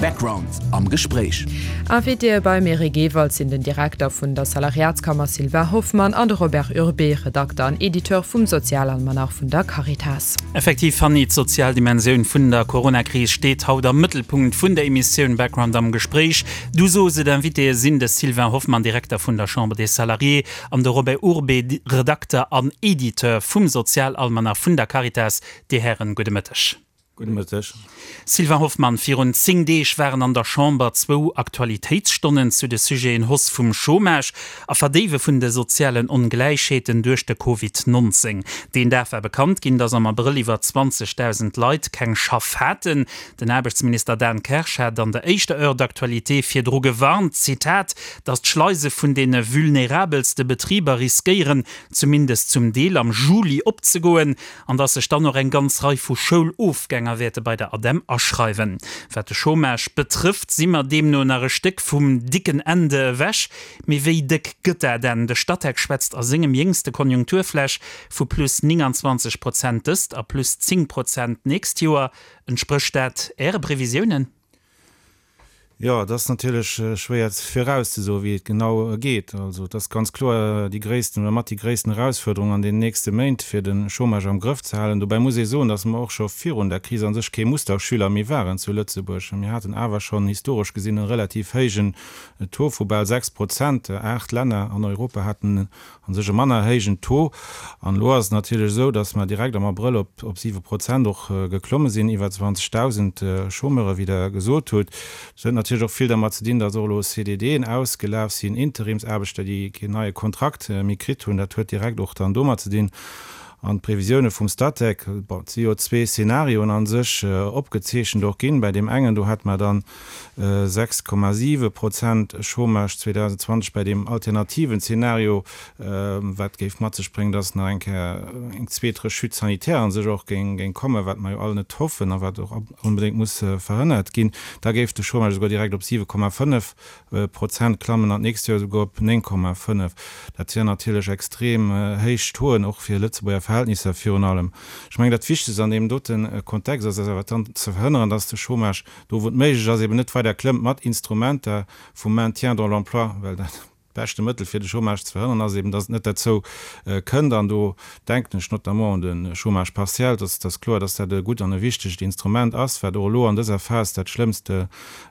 Background am Gespréich. Invitéë beim Eric Ewald sinn den Direkter vun der Salariatskammer Sylvain Hoffmann an de Robert Urbé, Redakter an Editeur vum Sozialalmanach vun der Caritas. Effektiv, Fanny, d'sozial Dimensioun vun der Coronakris steet haut am Mëttelpunkt vun der Emissioun Background am Gespréich. Du sos et, Invitéë sinn de Sylvain Hoffmann, Direkter vun der Chambre des Salariés, an de Robert Urbé, Redakter an Editeur vum Sozialalmanach vun der Caritas. Dir Hären, gudde Mëtteg. Gudde Mëtteg. Sylvain Hoffmann, virun 10 Deeg waren an der Chamber zwou Aktualitéitsstonnen zu de Sujeten Hausse vum Chômage a Verdéiwe vun de sozialen Ongläichheeten duerch de Covid 19. Deen Dag war bekannt ginn, datt am Abrëll iwwer 20.000 Leit keng Schaff haten. Den Aarbechtsminister Dan Kersch hat an der éischter Heure d'actualité virdru gewarnt, Zitat, datt d'Schleise vun deene vulnerabelste Betriber riskéieren, zumindest zum Deel am Juli opzegoen. An dass sech dann och eng ganz Rei vu Schoulofgänger wäerte bei der ADEM aschreiwen. Wat de Chômage betrëfft, si mer deemno nach e Stéck vum dicken Ende ewech. Mee wéi déck gëtt dat Enn? De Statec schwätzt a sengem jéngste Konjunkturflash vu plus 29 Prozent dëst a plus 10 Prozent d'nächst Joer. Entsprécht dat Äre Previsiounen? Jo, et ass natierlech schwéier virauszesoen, wéi et genau geet. Also et ass ganz kloer déi gréissten oder mat déi gréissten Erausfuerderung an den nächste Méint, fir de Chômage am Grëff ze halen. Dobäi muss ee soen, datt mer och scho virun der Kris a sech kee Musterschüler méi waren zu Lëtzebuerg. Mir haten awer schonn historesch gesinn e relativ héijen Taux vu bal 6 Prozent. Aacht Länner an Europa haten A sech e manner héijen Taux. An elo ass et natierlech esou, datt mer direkt am Abrëll op op 7 Prozent och geklomme sinn, iwwer 20.000 Chômeure, wéi Der gesot hutt. Dat huet natierlech och vill dermat ze dinn, datt och elo CDDen ausgelaf sinn, Interimsaarbechter, déi keen neie Kontrakt méi kritt hunn. Dat huet direkt och dann domat ze dinn. An d'Previsioune vum Statec, bon, et si jo zwee Szenarioen a sech opgezeechent och ginn. Bäi deem engen, do hat mer dann 6,7 Prozent Chômage 2020, bäi deem alternativen Zeenario, wat géif mat sech bréngen, dass nach eng Kéier eng zweet Rechute sanitaire a sech och géing kommen, wat mer jo all net hoffen a wat och onbedéngt muss verhënnert ginn, da géif de Chômage esouguer direkt op 7,5 Prozent klammen an d'nächst Joer esouguer op 9,5. Dat wieren natierlech extrem héich Tauxen, och fir Lëtzebuerger Verhältnisser virun allem. Ech mengen, dat Wichtegst an deem dote Kontext ass awer dann ze verhënneren, dass de Chômage do wou et méiglech ass, eben net weider klëmmt mat Instrumenter vum Maintien dans l'emploi, well dat beschte Mëttel fir de Chômage ze verhënnern ass eben, dass et net derzou kënnt. An do denken ech notamment un de Chômage partiel. Et ass kloer, dass dat e gutt an e wichtegt Instrument ass, wat och elo an dëser Phas dat Schlëmmst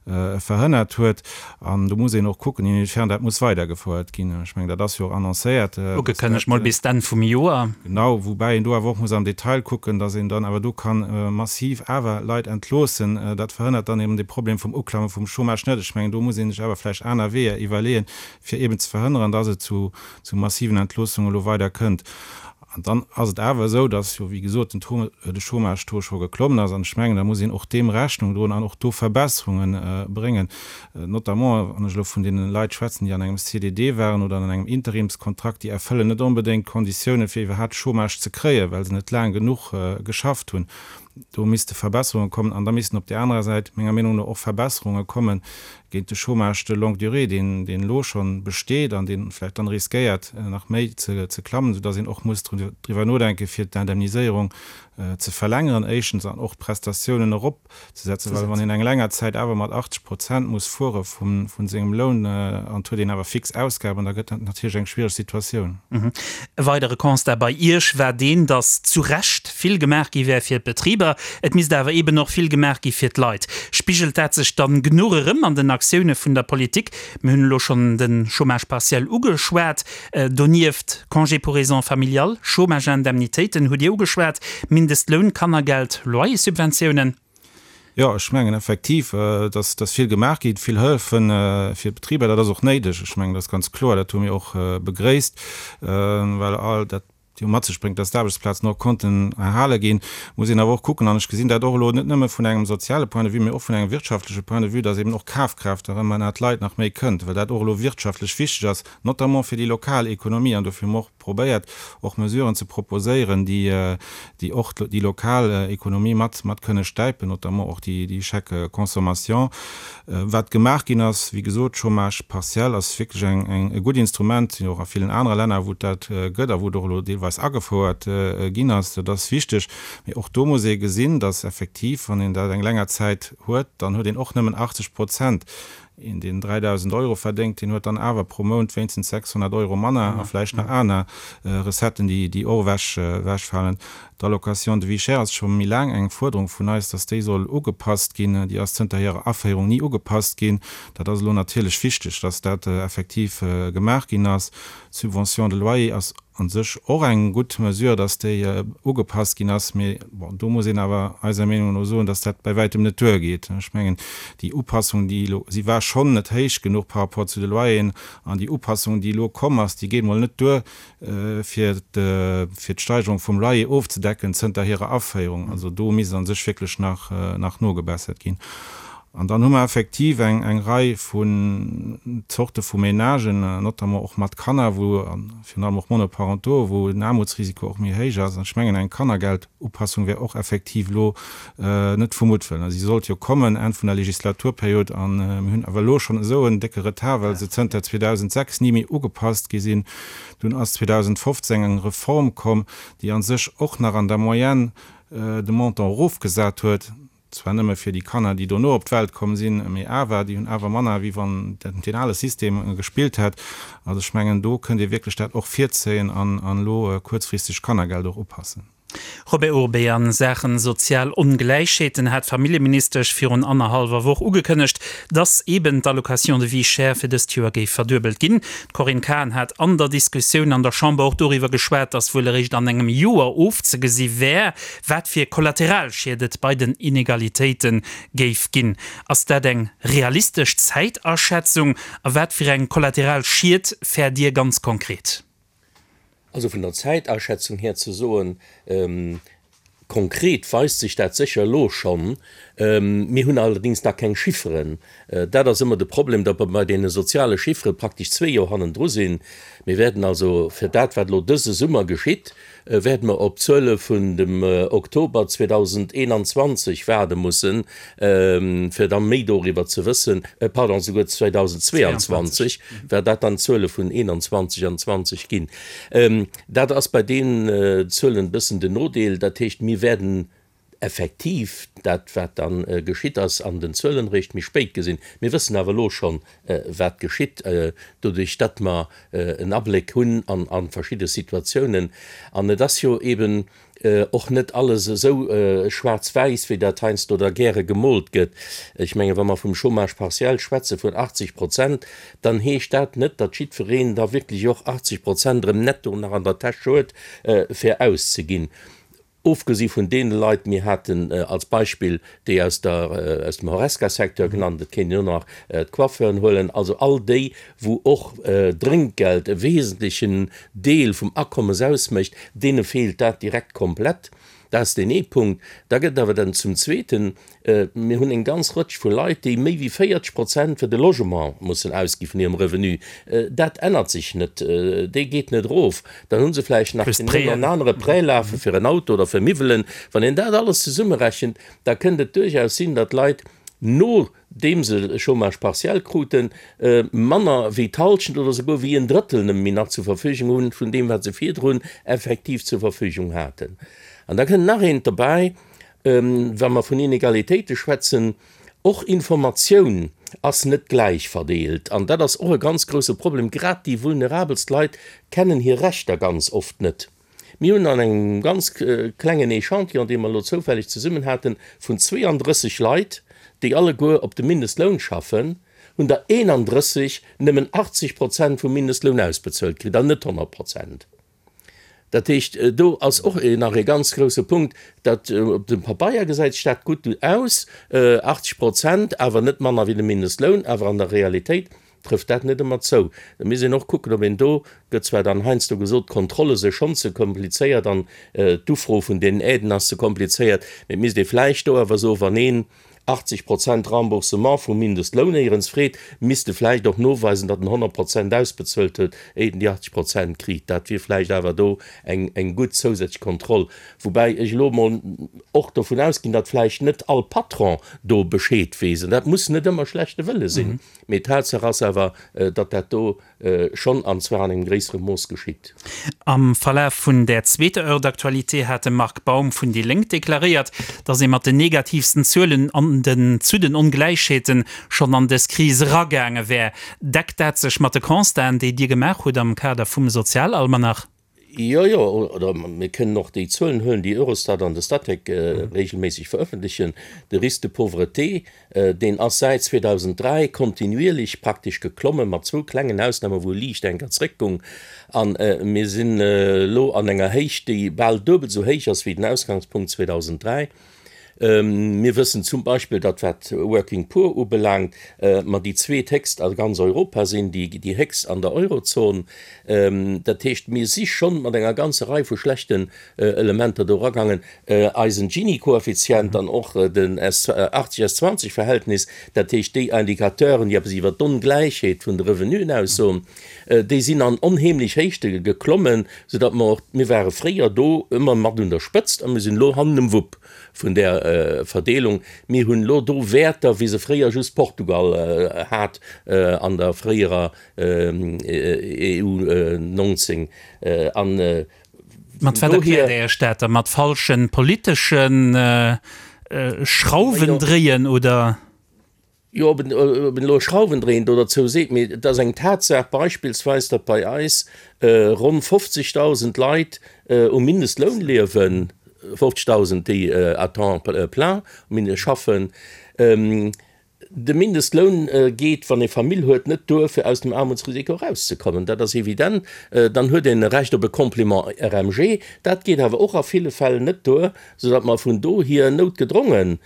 verhënnert huet. An do muss een och kucken, inwiefern dat muss weidergefouert ginn. Ech mengen, dat ass jo och annoncéiert. Ugekënnegt mol bis d'Enn vum Joer. Genau, woubäi een do awer och muss am Detail kucken, dass een dann awer do ka massiv awer Leit entloossen. Dat verhënnert dann eben de Problem vum Uklamme vum Chômage net. Ech mengen, do muss ee sech awer vläicht aner Weeër iwwerleeën, fir eben ze verhënneren, dass et zu massiven Entloossunge elo weider kënnt. An dann ass et awer esou, dass jo, wéi gesot, den Taux, de Chômage-Taux scho geklommen ass. An ech mengen, da muss een och deem Rechnung droen an och do Verbesserunge bréngen, notamment wann ech elo vun deene Leit schwätzen, déi an engem CDD waren oder an engem Interimskontrakt, déi erfëllen net onbedéngt d'Konditiounen, fir iwwerhaapt Chômage ze kréien, well se net laang genuch geschafft hunn. Do misste Verbesserunge kommen. An da missten op där anerer Säit menger Meenung no och Verbesserunge kommen géint de Chômage de longue durée, deen elo scho besteet an dee vläicht dann riskéiert nach méi ze klammen, soudass een och muss driwwer nodenken, fir d'Indemniséierung ze verlängeren éischtens an och d'Prestatiounen eropzesetzen, well wann een eng länger Zäit awer mat 80 Prozent muss fuere vu sengem Loun an et huet een awer fix Ausgaben, da gëtt dat natierlech eng schwiereg Situatioun. E weidere Constat bei Iech war deen, datt zu Recht vill gemaach gi wär fir d'Betriber, et misst awer eeben och vill gemaach gi fir d'Leit. Spigelt dat sech dann genuch erëm an den Aktioune vun der Politik? Mir hunn elo schonn de Chômage partiel ugeschwat, donieft Congé pour raisons familiales, Chômageindemnitéiten hutt Dir ugeschwat, Mindestloun, Kannergeld, Loyerssubventiounen. Jo, ech mengen effektiv, dass dass vill gemaach gétt, vill Hëllefe fir d'Betriber. Dat ass och néideg. Ech mengen, dat ass ganz kloer. Dat hu mir och begréisst, well all dat jo mat sech bréngt, dass d'Aarbechtsplazen och konnten erhale ginn. Muss een awer och kucken, an ech gesinn dat och elo net nëmme vun engem soziale Point de vue, mee och vun engem wirtschaftleche Point de vue, dass eben och Kafkraaft erëm ënnert d'Leit nach méi kënnt, well dat och elo wirtschaftlech wichteg ass, notamment fir déi lokal Ekonomie. An dofir hu mer och. probéiert och Mesuren ze proposéieren, déi déi och déi lokal Ekonomie mat mat kënne stäipen, notamment och déi déi Chèques consommation. Wat gemaach ginn ass, wéi gesot, Chômage partiel ass wierklech eng eng e gutt Instrument, sinn och a villen anere Länner, wou et dat gëtt a wou et och elo deelweis agefouert ginn ass. Dat ass wichteg. Mee och do muss ee gesinn, dass effektiv, wann een dat eng länger Zäit huet, dann huet een och nëmmen 80 Prozent. Een, deen 3.000 Euro verdéngt, deen huet dann awer pro Mount wéinstens 600 Euro manner a vläicht nach aner Recetten, déi och ewech ewechfalen. D'Allocation de vie chère ass scho méi laang eng Fuerderung vun eis, dass déi soll ugepasst ginn. Déi ass zënter hirer Aféierung ni ugepasst ginn. Dat ass elo natierlech wichteg, dass dat effektiv gemaach ginn ass. D'Subvention de loyer ass a sech och eng gutt Mesure, dass déi ugepasst ginn ass, mee bon, do muss een awer eiser Meenung no soen, dass dat bäi wäitem net duergeet. Ech mengen, déi Upassung, déi elo, si war schonn net héich genuch par rapport zu de Loyeren, an déi Upassung, déi elo komm ass, déi geet mol net duer, fir d'Steigerung vum Loyer ofzedecken zënter hirer Aféierung. Also do misst a sech wierklech nach, nach nogebessert ginn. An dann hu mer effektiv eng, eng Rei vun Zorte vu Ménagen, notamment och mat Kanner, wou, a virun allem och monoparentaux, wou den Aarmutsrisiko och méi héich ass. An ech mengen, eng Kannergeldupassung wär och effektiv elo net vu Muttwëllen. Si sollt jo kommen Enn vun der Legislaturperiod, a mir hunn awer elo schonn esou en décke Retard, well se zënter 2006 ni méi ugepasst gi sinn. Dunn ass 2015 eng Reform komm, déi a sech och nach an der Moyenne de Montant erofgesat huet. Zwar nëmme fir déi Kanner, déi dono op d'Welt komm sinn, mee awer, déi hunn awer manner, wéi wann deen ale System gespillt hätt. Also ech mengen, do kënnt ee wierklech dat och virzéien an elo kuerzfristeg d'Kannergeld och upassen. Robert Urbé, A Saachen sozial Ongläichheeten hat d'Familljeministesch virun annerhallwer Woch ugekënnegt, dass eben d'Allocation de vie chère fir dëst Joer géif verduebelt ginn. D'Corinne Cahen hat an der Diskussioun an der Chamber och doriwwer geschwat, dass wuel eréischt an engem Joer ofzegesi wär, Wat fir Kollateralschied et bei den Inegalitéite géif ginn. Ass dat eng realistesch Zäitaschätzung? A wat fir eng Kollateralschied fäert Dir ganz konkret? Also vun der Zäitaschätzung här ze soen, konkret weist sech dat sécher elo schonn. Mir hunn allerdéngs nach keng Chifferen. Dat ass ëmmer de Problem, datt mer bei deene soziale Chiffere praktesch zwee Joer hannendru sinn. Mir wäerten also fir dat, wat elo dëse Summer geschitt, wäerte mer op d'Zuele vun dem Oktober 2021 waarde mussen, fir da méi doriwwer ze wëssen, pardon, souguer 2022, well dat dann d'Zuele vun 21 an 20 ginn. Dat ass bei deenen Zuelen e bëssen den Nodeel. Dat heescht, mir wäerten effektiv dat, wat da geschitt ass, an den Zuelen eréischt méi spéit gesinn. Mir wëssen awer elo schonn, wat geschitt, doduerch datt mer en Abléck hunn a verschidde Situatiounen. An et ass jo eeben och net alles esou schwaarz-wäiss, wéi dat heiansdo da gäre gemoolt gëtt. Ech menge wa mer vum Chômage partiel schwätze vun 80 Prozent, dann heescht dat net, datt jiddwereen da wierklech och 80 Prozent erëm netto nach an der Täsch huet, fir auszeginn. Ofgesi vun deene Leit, mir haten als Beispill déi aus der, aus dem Horesca-Secteur genannt, et kéint een och nach d'Coiffeuren huelen, also all déi, wou och Drénkgeld e wesentlechen Deel vum Akommes ausmécht, deene feelt dat direkt komplett. Dat ass deen ee Punkt. Da gëtt et awer dann zum Zweeten Mir hunn eng ganz Rëtsch vu Leit, déi méi wéi 40 Prozent fir de Logement mussen ausgi vun hirem Revenu. Dat ännert sech net, dee geet net erof. Dann hu se vläicht nach deen een oder anere Prêt lafe fir en Auto oder fir Miwwelen. Wann een dat alles zesummerechent, da kënnt et duerchaus sinn, datt Leit, nodeem se Chômage partiel kruten, manner wéi d'Hallschent oder souguer wéi en Drëttel nëmme méi nach zur Verfügung hunn vun deem, wat se virdrun effektiv zur Verfügung haten. An da kënnt nach eent derbäi, Wa mer vun Inegalitéite schwätzen, och Informatioun ass net gläich verdeelt. An dat ass och e ganz grouse Problem. Grad déi vulnerabelst Leit kennen hir Rechter ganz oft net. Mir hunn an engem ganz klengen Echantillon, dee mer elo zoufälleg zesummen haten, vun 32 Leit, déi alleguer op dem Mindestloun schaffen, hunn der 31 nëmmen 80 Prozent vum Mindestloun ausbezuelt kritt an net 100 Prozent. Dat heescht, do ass och nach e ganz grouse Punkt, datt op dem Pabeier gesäit sech dat gutt aus, 80 Prozent, awer net manner wéi de Mindestloun, awer an der Realitéit trëfft dat net ëmmer zou. Da misst een och kucken, ob een do, gëtt zwar dann heiansdo gesot, d'Kontrolle se schonn ze komplizéiert an d'Ufro vun deenen Aiden ass ze komplizéiert, mee et misst ee vläicht do awer soen, wann een. 80 Prozent Remboursement vum Mindestloun éierens freet, misst e vläicht och noweisen, datt en 100 Prozent ausbezuelt huet, éiert en déi 80 Prozent kritt. Dat wier vläicht awer do eng eng gutt zousätzlech Kontroll. Woubäi ech elo emol och dovun ausginn, datt vläicht net all Patron do Bescheed weess. An dat muss net ëmmer schlechte Wëlle sinn, mee Tatsaach ass awer, datt dat do schonn, an zwar an engem gréissere Mooss geschitt. Am Verlaf vun där zweeter Heure d'actualité hat de Marc Baum vun déi Lénk deklaréiert, datt ee mat den negativsten Zuelen an den zu den Ongläichheeten schonn an dës Kris eragaange wär. Deckt dat sech mat de Constaten, déi Dir gemaach hutt am Kader vum Sozialalmanach? Jo, jo, oder mir kënnen och déi Zuelen huelen, déi Eurostat an de Statec regelméisseg verëffentlechen. De Risque de pauvreté, deen ass säit 2003 kontinuierlech praktesch geklommen, mat zwou klengen Ausnamen, wou e liicht eng Kéier zréckgoung. A mir sinn elo an enger Héicht, déi bal duebel esou héich ass wéi den Ausgangspunkt 2003. Mir wëssen zum Beispill, datt wat Working Poor ubelaangt, mer déi zweethéchst a ganz Europa sinn, déi héchst an der Eurozon. Dat heescht, mir si schonn mat enger ganzer Rei vu schlechten Elementer do eragaangen. Eisen Gini-Koeffizient an och den 80 S 20 Verhältnis, dat heescht déi Indicateuren, déi eppes iwwert d'Ongläichheet vun de Revenuen aussoen, déi sinn an onheemlech Héichte geklommen, soudatt mer och, mir ware fréier do ëmmer mat un der Spëtzt a mir sinn elo hannen um Wupp. vun där Verdeelung. Mir hunn elo do Wäerter, wéi se fréier just Portugal hat an der fréierer EU 19. An Mat wat erkläert Dir Iech dat da? Mat falsche politesche Schrauwendréien oder? Jo, ob een elo Schrauwendréien do derzou seet, mee et ass eng Tatsaach beispillsweis, datt bei eis ronn 50.000 Leit um Mindestloun liewen, 50.000, déi à temps plein schaffen. De Mindestloun geet, wann ee Famill huet, net duer, fir aus dem Aarmutsrisiko erauszekommen. Dat ass evident. Dann huet een e Recht op e Complément RMG. Dat geet awer och a ville Fäll net duer, soudatt mer vun dohier noutgedrongen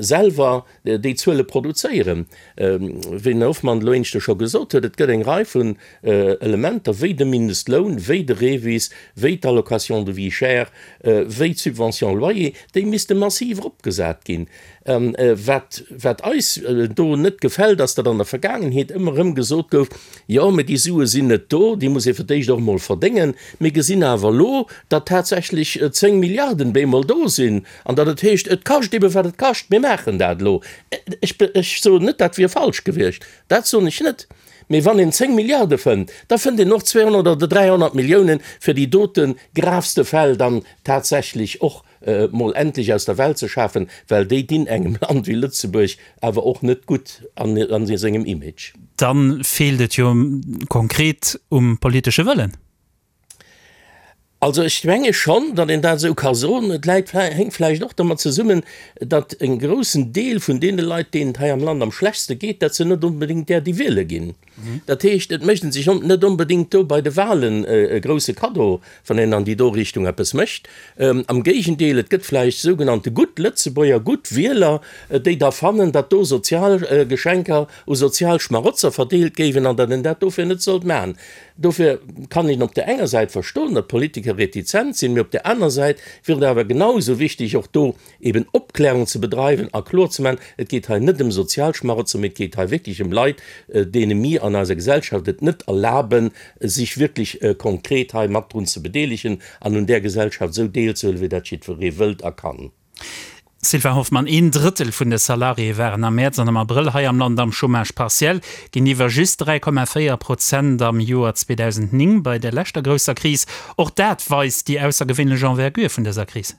selwer déi Zuele produzéieren. Wéi den Här Hoffmann elo éineschter scho gesot huet, et gëtt eng Rei vun Elementer, wéi de Mindestloun, wéi de REVIS, wéi d'Allocation de vie chère, wéi d'Subvention loyer, déi misste massiv eropgesat ginn. Wat, wat eis do net gefält, ass, datt an der Vergaangenheet ëmmer erëm gesot gouf, Jo, mä déi Sue sinn net do, déi muss ee fir d'éischt och emol verdéngen. Mir gesinn awer elo, datt tatsächlech 10 Milliarden bemol do sinn An datt et heescht, et kascht ebe wat et kascht, mir maachen dat elo. Ech, ech soen net, dat wier falsch gewiescht, dat soen ech net. Mee wann een 10 Milliarde fënnt, da fënnt een och 200 oder 300 Milliounen, fir déi dote gravste Fäll dann tatsächlech och mol endlech aus der Welt ze schafen, well déi dinn engem Land wéi Lëtzebuerg awer och net gutt an sengem Image. Dann feelt et jo konkret um politesche Wëllen. Also ech menge schonn, datt een dat esou ka soen. Et läit, hänkt vläicht och domat zesummen, datt e groussen Deel vun deene Leit, deenen et hei am Land am schlechtste geet, dat sinn net onbedéngt där, déi wiele ginn. Dat heescht, et mécht ee sech net onbedéngt do bei de Wahlen e grousse Kaddo, wann een an déi do Richtung eppes mécht. Am Géigendeel, et gëtt vläicht sougenannte gutt Lëtzebuerger, gutt Wieler, déi da fannen, datt do sozial Geschenker u sozial Schmarotzer verdeelt géiwen an datt een dat dofir net sollt maachen. Dofir kann een op där enger Säit verstoen, datt d'Politiker retizent sinn, mee op där aner Säit wier et awer genau esou wichteg, och do eben Opklärung ze bedreiwen a kloer ze maachen, Et geet hei net ëm Sozialschmarotzer, mee et geet hei wierklech ëm Leit, deene mir an eiser Gesellschaft et net erlaben, sech wierklech konkret hei mat drun ze bedeelegen an un där Gesellschaft esou deelzehuelen, wéi dat jiddweree wëllt a kann. Sylvain Hoffmann, Een Drëttel vun de Salariéë waren am Mäerz an am Abrëll hei am Land am Chômage partiel, géintiwwer just 3,4 Prozent am Joer 2009 bei der leschter grousser Kris. Och dat weist déi aussergewéinlech Envergure vun dëser Kris.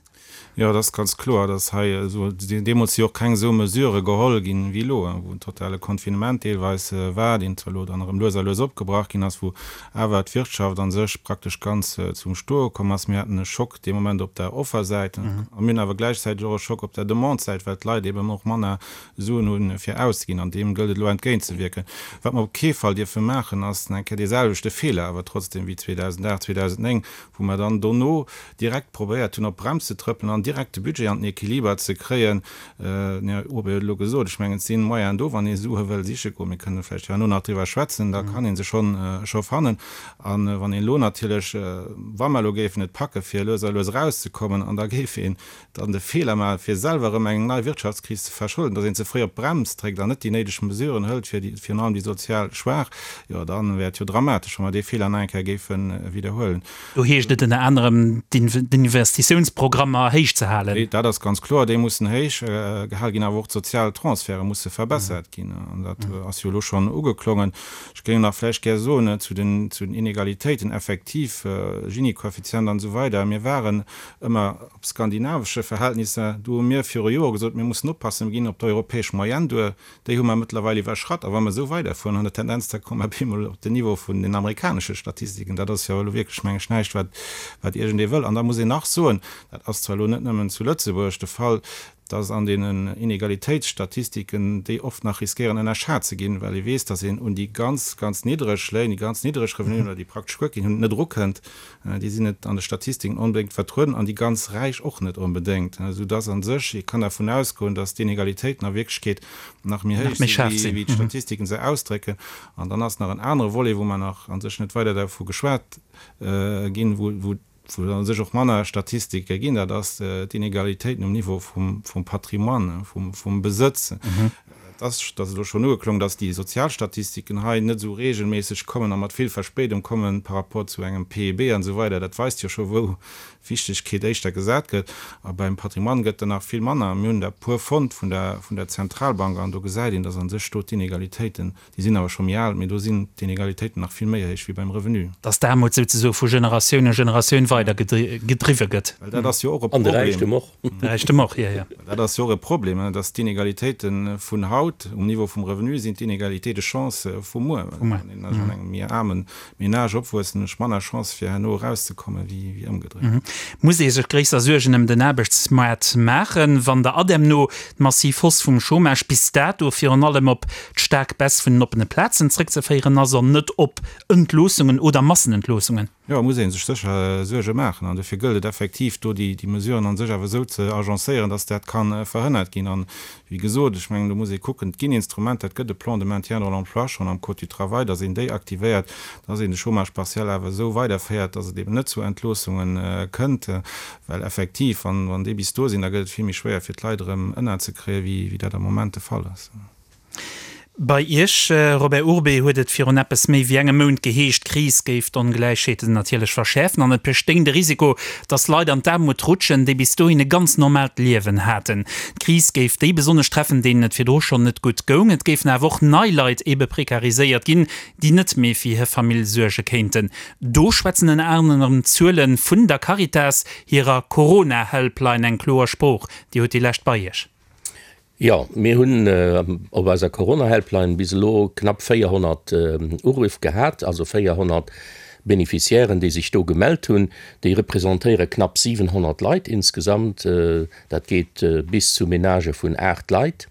Jo, et ass ganz kloer, datt hei esou, deemools si och keng esou Mesurë geholl ginn wéi elo, wou en totale Confinement deelweis war, deen zwar elo dann erëm lues a lues opgebrach ginn ass, wou awer d'Wirtschaft a sech praktesch ganz zum Stoe komm ass. Mir haten e Schock dee Moment op der Offersäit a mir hunn awer gläichzäiteg och e Schock op der Demande-Säit, well d'Leit eben och manner Suen hunn, fir auszeginn. An deem gëllt et elo entgéintzewierken. Wat mer op kee Fall dierfe maachen, ass nach eng Kéier dee selwechte Feeler awer trotzdem wéi 2008, 2009, wou mer dann dono direkt probéiert hunn, op d'Brems ze trëppelen. dann direkt de Budget an den Equiliber ze kréien. Den Här Urbé huet elo gesot, ech mengen, et si Moyenen do, wann ee Sue wëll siche goen, mir kënnen vläicht herno nach driwwer schwätzen, da kann ee se schonn, scho fannen. A wann een elo natierlech, wa mer elo géifen et packe fir lues a lues erauszekommen, an da géif een dann de Feeler maachen, fir selwer erëm eng nei Wirtschaftskris ze verschulden, datt een ze fréi op d'Brems dréckt an net déi néideg Mesuren hëlt fir déi, virun allem déi sozial Schwaach, jo da wär et jo dramatesch, wa mer dee Feeler nach eng Kéier géife widderhuelen. Do heescht et ënner anerem, d'Investitiounsprogrammer héich ze halen. Dat ass ganz kloer, déi mussen héich gehal ginn, awer och d'sozial Transferte musse verbessert ginn. An dat ass jo elo schonn ugeklongen. Ech géing nach vläicht gär soen zu den Inegalitéiten, effektiv, Gini-Koeffizient an esou weider, mir waren ëmmer op skandinavesche Verhältnisser, do hu mir viru Jore gesot, mir mussen oppassen, mir ginn op d'europäesch Moyenne duer, déi hu mer mëttlerweil iwwerschratt. A wa mer esou weiderfueren an der Tendenz, da komme mer op eemol op den Niveau vun den amerikanesche Statistiken. Dat ass jo elo wierklech, meng ech, näischt, wat, wat iergendee wëll. An da muss een nach soen, dat ass zwar elo net nëmmen zu Lëtzebuerg de Fall, dass an deenen Inegalitéitsstatistiken déi oft nach riskéieren ënnerschat ze ginn, well ee weess, dass een un déi ganz, ganz niddreg Léin, déi ganz niddreg Revenuen oder déi praktesch guer keen hunn, net erukënnt. Déi sinn net an de Statistiken onbedéngt vertrueden an déi ganz Räich och net onbedéngt, soudass a sech ee kann dervun ausgoen, dass d'Inegalitéiten a Wierklechkeet nach méi héich sinn, wéi d'Statistiken se ausdrécken. An dann ass nach en anere Volet, wou mer nach a sech net weider dervu geschwat ginn, wou a sech och manner Statistike ginn, dat ass d'Inegalitéiten um Niveau vum Patrimoine, vum Besëtz. Et ass, dat ass elo schonn ugeklongen, dass déi Sozialstatistiken hei net esou regelméisseg kommen a mat vill Verspéidung kommen par rapport zu engem PIB an esou weider. Dat weist jo scho wou Wichtegkeet éischter gesat gëtt. A beim Patrimoine gëtt der nach vill manner. Mir hunn der e puer fonnt vun der, vun der Zentralbank an do gesäit een, dass a sech do d'Inegalitéiten, déi sinn awer scho méi al, mee do sinn d'Inegalitéiten nach vill méi héich wéi beim Revenu. Dass d'Aarmut souzesoe vu Generatioun u Generatioun weider gedriwwe gëtt. Well dat ass jo och e Problem. An de Räichtum och. De Räichtum och, jo, jo. Dat ass jo och e Problem, dass d'Inegalitéite vun haut um Niveau vum Revenu sinn d'Inegalité de chance vu muer. Wann een also an engem méi aarme Menage opwuesst, hunn ech manner Chance fir herno erauszekommen, wéi ëmgedréit. Muss ee sech gréisser Suergen ëm den Aarbechtsmaart maachen, wann der ADEM no d'massiv Hausse vum Chômage bis dato virun allem op d'staark Baisse vun den oppene Plazen zréckzeféieren ass an net op Entloossungen oder Massenentloossungen? Jo, muss ee sech sécher Suerge maachen. An dofir gëllt et effektiv, do déi Mesuren a sech awer esou ze agencéieren, dass dat ka verhënnert ginn. An, wéi gesot, ech mengen, do muss ee kucken, et ginn Instrumenter, et gëtt e Plan de maintien dans l'emploi schonn am Code du travail, dass een déi aktivéiert, dass een de Chômage partiel awer esou weiderféiert, dass et eben net zu Entloossunge kënnt. Well effektiv, wann déi bis do sinn, da gëtt et vill méi schwéier, fir d'Leit erëm ënnerzekréien, wéi dat am Moment de Fall ass. Bei Iech, Robert Urbé, huet et virun eppes méi wéi engem Mount geheescht, d'Kris géif d'Ongläichheeten natierlech verschäerfen an et bestéing de Risiko, datt Leit an d'Aarmut rutschen, déi bis dohin e ganz normaalt Liewen haten. D'Kris géif déi besonnesch treffen, deenen et virdru schonn net gutt goung. Et géifen awer och nei Leit ebe prekariséiert ginn, déi net méi fir hir Famill suerge kéinten. Do schwätzen ënner anerem d'Zuele vun der Caritas hirer Corona-Helpline eng kloer Sprooch. Dir hutt déi lescht bei Iech. Jo, mir hunn op eiser Corona-Helpline bis elo knapp 400 Uruff gehat, also 400 Beneficiairen, déi sech do gemellt hunn. Déi representéiere knapp 700 Leit insgesamt. Dat geet bis zu Menagë vun 8 Leit.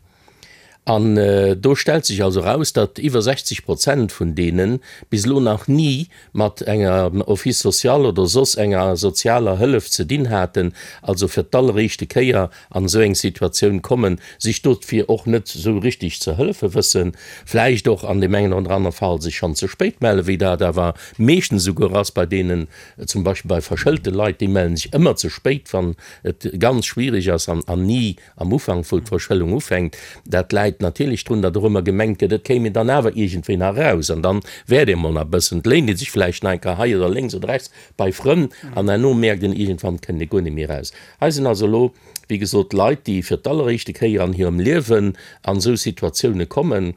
An do stellt sech also eraus, datt iwwer 60 Prozent vun deene bis elo nach ni mat enger Office social oder soss enger sozialer Hëllef ze dinn haten, also fir d'alleréischte Kéier an esou eng Situatioun kommen, sech dofir och net esou richtig ze hëllefe wëssen, vläicht och an deem engen oder anere Fall sech schonn ze spéit mellen, wéi dat awer meeschtens esouguer ass bei deenen, zum Beispill bei verschëlte Leit, déi mellen sech ëmmer ze spéit, wann et ganz schwierig ass an ni am Ufank, wou d'Verschëllung ufänkt. Dat läit natierlech drun, datt och ëmmer gemengt gëtt, et kéim een dann awer iergendwéi nach eraus an dann wäert ee mol nach e bëssen, et léint ee sech vläicht nach eng Kéier hei oder lénks oder rechts bei Frënn an herno mierkt een iergendwann, kënnt ee guer net méi eraus. Hei sinn also elo, wéi gesot, Leit, déi fir d'alleréischte Kéier an hirem Liewen an esou Situatioune kommen.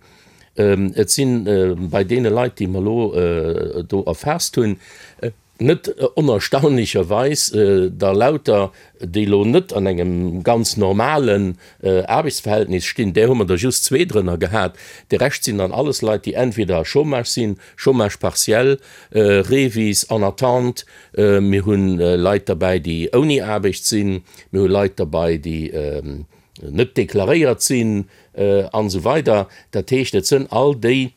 Et si bei deene Leit, déi mer elo do erfaasst hunn, net onerstaunlecherweis der lauter, déi elo net an engem ganz normalen Aarbechtsverhältnis stinn, där hu mer der just zwee drënner gehat. De Rescht sinn dann alles Leit, déi entweder Chômage sinn, Chômage partiel, Revis, en attente, Mir hu Leit derbäi, déi ouni Aarbecht sinn. Mir hu Leit derbäi, déi net deklaréiert sinn an esou weider. Dat heescht, et sënn all déi.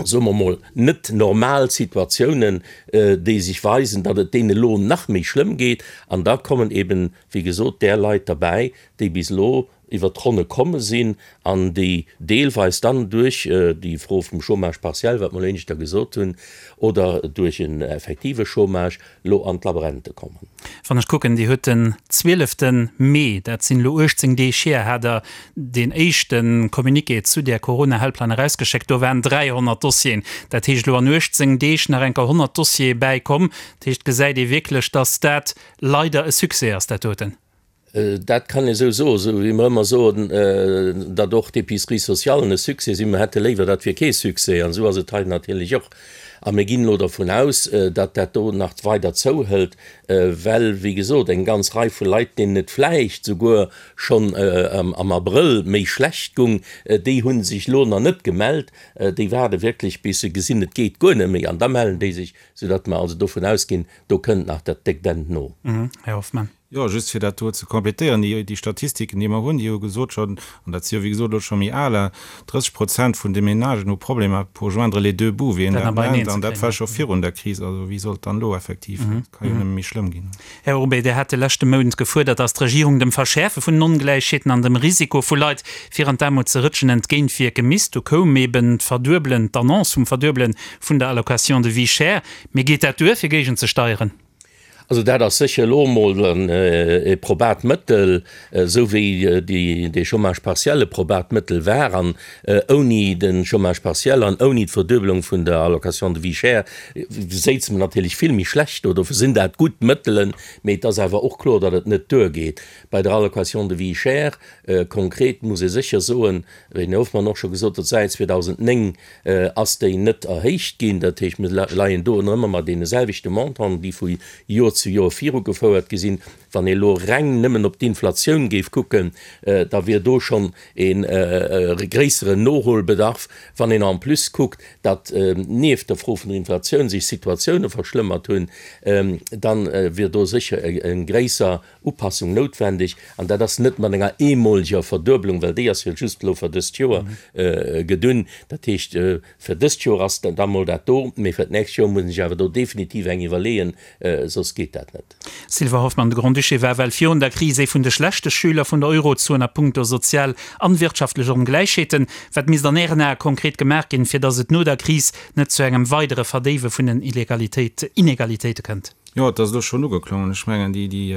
Soe mer mol, net normal Situatiounen, déi sech weisen, datt et deene elo nach méi schlëmm geet. An da kommen eben, wéi gesot, där Leit derbäi, déi bis elo iwwert d'Ronne komme sinn an déi deelweis dann duerch déi Fro vum Chômage partiel, wat mer elo éineschter gesot hunn, oder duerch en effektive Chômage lo an d'Labrente kommen. Wann ech kucken, Dir huet den zwielefte Mee, dat sinn elo 18 Deeg hier, hat Der deen éischte Communiqué zu där Corona-Helpline erausgeschéckt. Do waren 300 Dossieren. Dat heescht, elo an 18 Deeg nach eng Kéier 100 Dossiere bäikomm. Dat heescht, gesäit ee wierklech, datt dat leider e Succès ass, dat doten. Dat kann ee sou soen, sou wéi mer ëmmer soen, datt och d'Épiceries socialen e Succès sinn. Mer hätte léiwer, dat wier kee Succès. An esou ass et hei natierlech och. A mir ginn elo dervun aus, datt dat do nach weider zouhëlt, well, wéi gesot, eng ganz Rei vu Leit, deenen et vläicht souguer schonn am Abrëll méi schlecht gung, déi hu sech elo nach net gemellt. Déi waarde wierklech, bis se gesinn, et geet guer net méi, an da mellen déi sech, soudatt mer also dovun ausginn, do kënnt nach dat déckt Enn no. Här Hoffmann. Jo, just fir dat do ze complétéieren, déi, déi Statistiken, déi mer hunn, déi hu gesot schonn, an dat si jo wéi gesot elo scho méi aler, 30 Prozent vun de Ménagen hu Problemer pour joindre les deux bouts, wéi een dat nennt, an dat war scho virun der Kris. Also wéi soll et dann elo effektiv, et ka jo nëmme méi schlëmm ginn. Här Urbé, Dir hat de leschte Mount gefuerdert, datt d'Regierung dem Verschäerfe vun den Ongläichheeten an dem Risiko vu Leit, fir an d'Aarmut ze rëtschen, entgéintwierke misst. Du koum eben d'Verduebelen, d'Annonce vum Verduebele vun der Allocation de vie chère. Mee geet dat duer, fir géigenzesteieren? Also dat ass sécher elo emol e probat Mëttel, esou wéi dee Chômage partiel e probat Mëttel war. An ouni de Chômage partiel an ouni d'Verduebelung vun der Allocation de vie chère séize mer natierlech vill méi schlecht do. Dofir sinn dat gutt Mëttelen, mee et ass awer och kloer, datt et net duergeet. Bei der Allocation de vie chère konkret muss ee sécher soen, wéi den Här Hoffmann och scho gesot huet, säit 2009 ass déi net erhéicht ginn. Dat heescht, mir leien do ëmmer mat deene selwechte Montanten, déi vu Joer zu Joer virugefouert gi sinn. Wann ee elo reng nëmmen op d'Inflatioun géif kucken, da wier do schonn e gréisseren Noholbedarf. Wann een en plus kuckt, datt nieft der Fro vun der Inflatioun sech d'Situatioune verschlëmmert hunn, da wier do sécher e gréisser Upassung noutwendeg, an dat ass net mat enger eemoleger Verduebelung, well déi ass jo just elo fir dëst Joer gedunn. Dat heescht, fir dëst Joer ass da mol dat do, mee fir d'nächst Joer muss een sech awer do definitiv eng iwwerleeën, soss geet dat net. Sylvain Hoffmann, De Grand-Duché war well virun der Kris ee vun de schlechte Schüler vun der Eurozon a punkto sozial an wirtschaftlech Ongläichheeten. Wat misst an Ären Ae konkret gemaach ginn, fir datt et no der Kris net zu engem weidere Verdéiwe vun den Inegalitéite kënnt? Jo, et ass elo schonn ugeklongen. Ech mengen, déi, déi,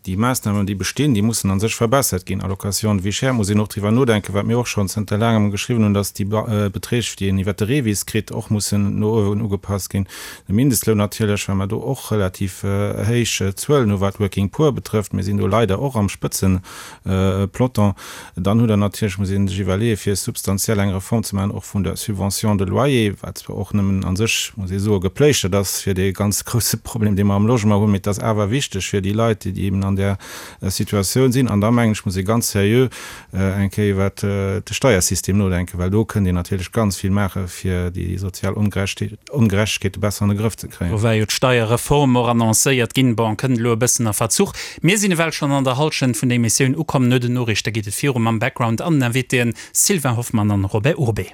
déi Maassnamen, déi bestinn, déi mussen a sech verbessert ginn. Allocation de vie chère, muss een och driwwer nodenken, wat mir och schonn zënter laangem geschriwwen hunn, dass déi Beträg, déi een iwwert de REVIS kritt, och mussen no uewen ugepasst ginn. De Mindestloun natierlech, well mer do och relativ héich Zuelen hu wat d'Working Poor betrëfft. Mir sinn do leider och am Spëtzen, Peloton. Dann hutt Der natierlech, muss ee sech iwwerleeën, fir substantiell eng Reform ze maachen, och vun der Subvention de loyer, wat zwar och nëmmen a sech, muss ee soen, gepléischtert ass fir dee ganz grouse Problem, dee mer am Logement hunn, mee et ass awer wichteg fir déi Leit, déi eben an där Situatioun sinn. An da mengen ech, muss ee ganz seriö eng Kéier iwwert de Steiersystem nodenken, well do kënnt een natierlech ganz vill maache fir déi sozial Ongerechtegkeete besser an de Grëff ze kréien. Do war jo d'Steierreform och annoncéiert ginn. Bon, kënnt elo e bëssen a Verzuch. Mir sinn ewell schonn an der Hallschent vun der Emissioun ukomm. No den Noriichte geet et viru mam Background an den Invitéen Sylvain Hoffmann an Robert Urbé.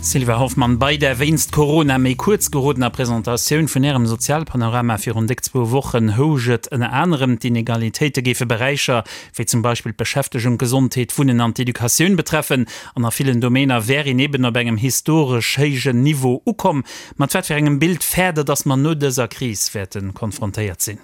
Sylvain Hoffmann, Bei der wéinst Corona méi kuerz gerodener Presentatioun vun Ärem Sozialpanorama virun déck zwou Wochen housch et ënner anerem, d'Inegalitéite géife Beräicher wéi zum Beispill d'Beschäftegung, d'Gesondheet, d'Wunnen an d'Educatioun betreffen an a villen Domainer wär een eben op engem historesch héijen Niveau ukomm. Mat wat fir engem Bild fäert Der, datt mer no dëser Kris wäerte konfrontéiert sinn?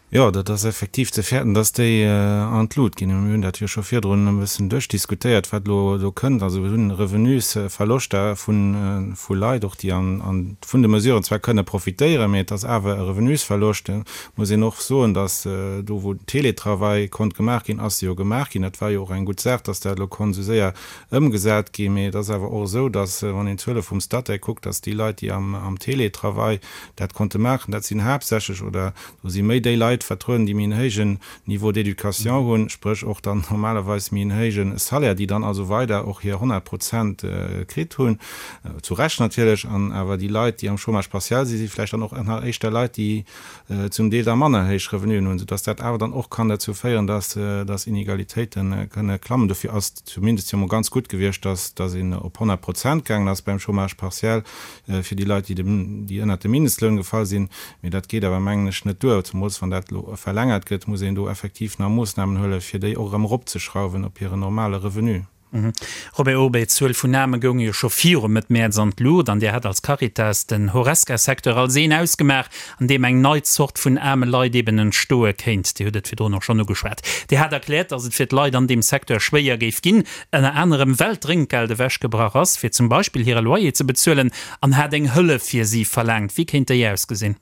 Jo, dat ass effektiv ze fäerten, dass déi an d'Lut ginn. Mir hunn dat jo scho virdrun e bëssen duerchdiskutéiert, wat elo do kënnt. Also mir hunn Revenusverloschter vu Leit och, déi an vun de Mesuren zwar kënne profitéieren, mee et ass awer e Revenusverloscht. Et muss een och soen, dass do, wou Teletravail konnt gemaach ginn, ass e jo gemaach ginn. Dat war jo och eng gutt Saach, dass dat elo konnt esou séier ëmgesat ginn. Mee et ass awer och esou, dass, wann een d'Zuele vum Statec kuckt, dass déi Leit, déi am Teletravail dat konnte maachen, dat sinn haaptsächlech oder do si méi déi Leit. Leit vertrueden, déi méi en héijen Niveau d'éducation hunn, spréch och dann normalerweis méi en héije Salaire, déi dann also weider och hir 100 Prozent kritt hunn, zu Recht natierlech. An awer déi Leit, déi am Chômage partiel sinn, si vläicht dann och nach éischter Leit, déi zum Deel da manner héich Revenuen hunn, soudass dat awer dann och kann derzou féieren, dass dass Inegalitéite kënne klammen. Dofir ass zumindest jo mol ganz gutt gewiescht, dass dass een op 100 Prozent gaangen ass beim Chômage partiel fir déi Leit, déi dem déi ënnert de Mindestloun gefall sinn. Mee dat geet awer, mengen ech, net duer. Zemools wann dat elo verlängert gëtt, muss een do effektiv nach Moossnamen huelen, fir déi och erëm eropzeschrauwen op hiren normale Revenu. Robert Urbé, D'Zuel vun Aarme goung jo scho viru Mëtt Mäerz an d'Luucht an Dir hat als Caritas den Horesca-Secteur als een ausgemaach, an deem eng nei Zort vun aarme Leit eben entstoe kéint. Dir hutt et virdrun och schonn ugeschwat. Dir hat erkläert, datt et fir d'Leit an deem Secteur schwéier géif ginn, ënner anerem well d'Drénkgeld ewechgebrach ass, fir zum Beispill hire Loyer ze bezuelen, an hat eng Hëllef fir si verlaangt. Wéi kéint déi ausgesinn?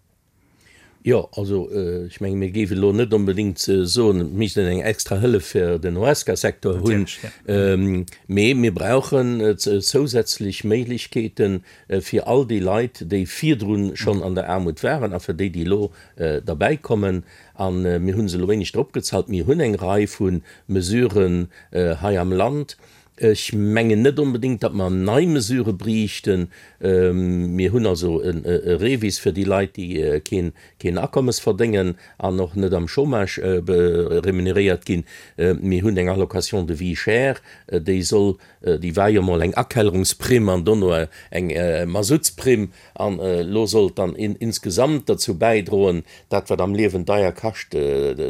Jo, also ech menge mir géifen elo net onbedéngt soen, et misst een eng extra Hëllef fir den Horesca-Secteur hunn, mee mir brauchen zousätzlech Méiglechkeete fir all déi Leit, déi virdru schonn an der Aarmut waren a fir déi, déi elo derbäikommen. A mir hu se elo éinescht eropgezallt. Mir hunn eng Rei vu Mesuren hei am Land. Ech mengen net onbedéngt, datt mer nei Mesurë briichten. Mir hunn also e REVIS fir déi Leit, déi keen Akommes verdéngen an och net am Chômage remuneréiert ginn. Mir hunn eng Allocation de vie chère, déi soll, déi war jo emol eng Akellerungsprimm an dono eng Masutsprimm An elo soll et dann insgesamt derzou bäidroen, dat wat am Liewen deier kascht,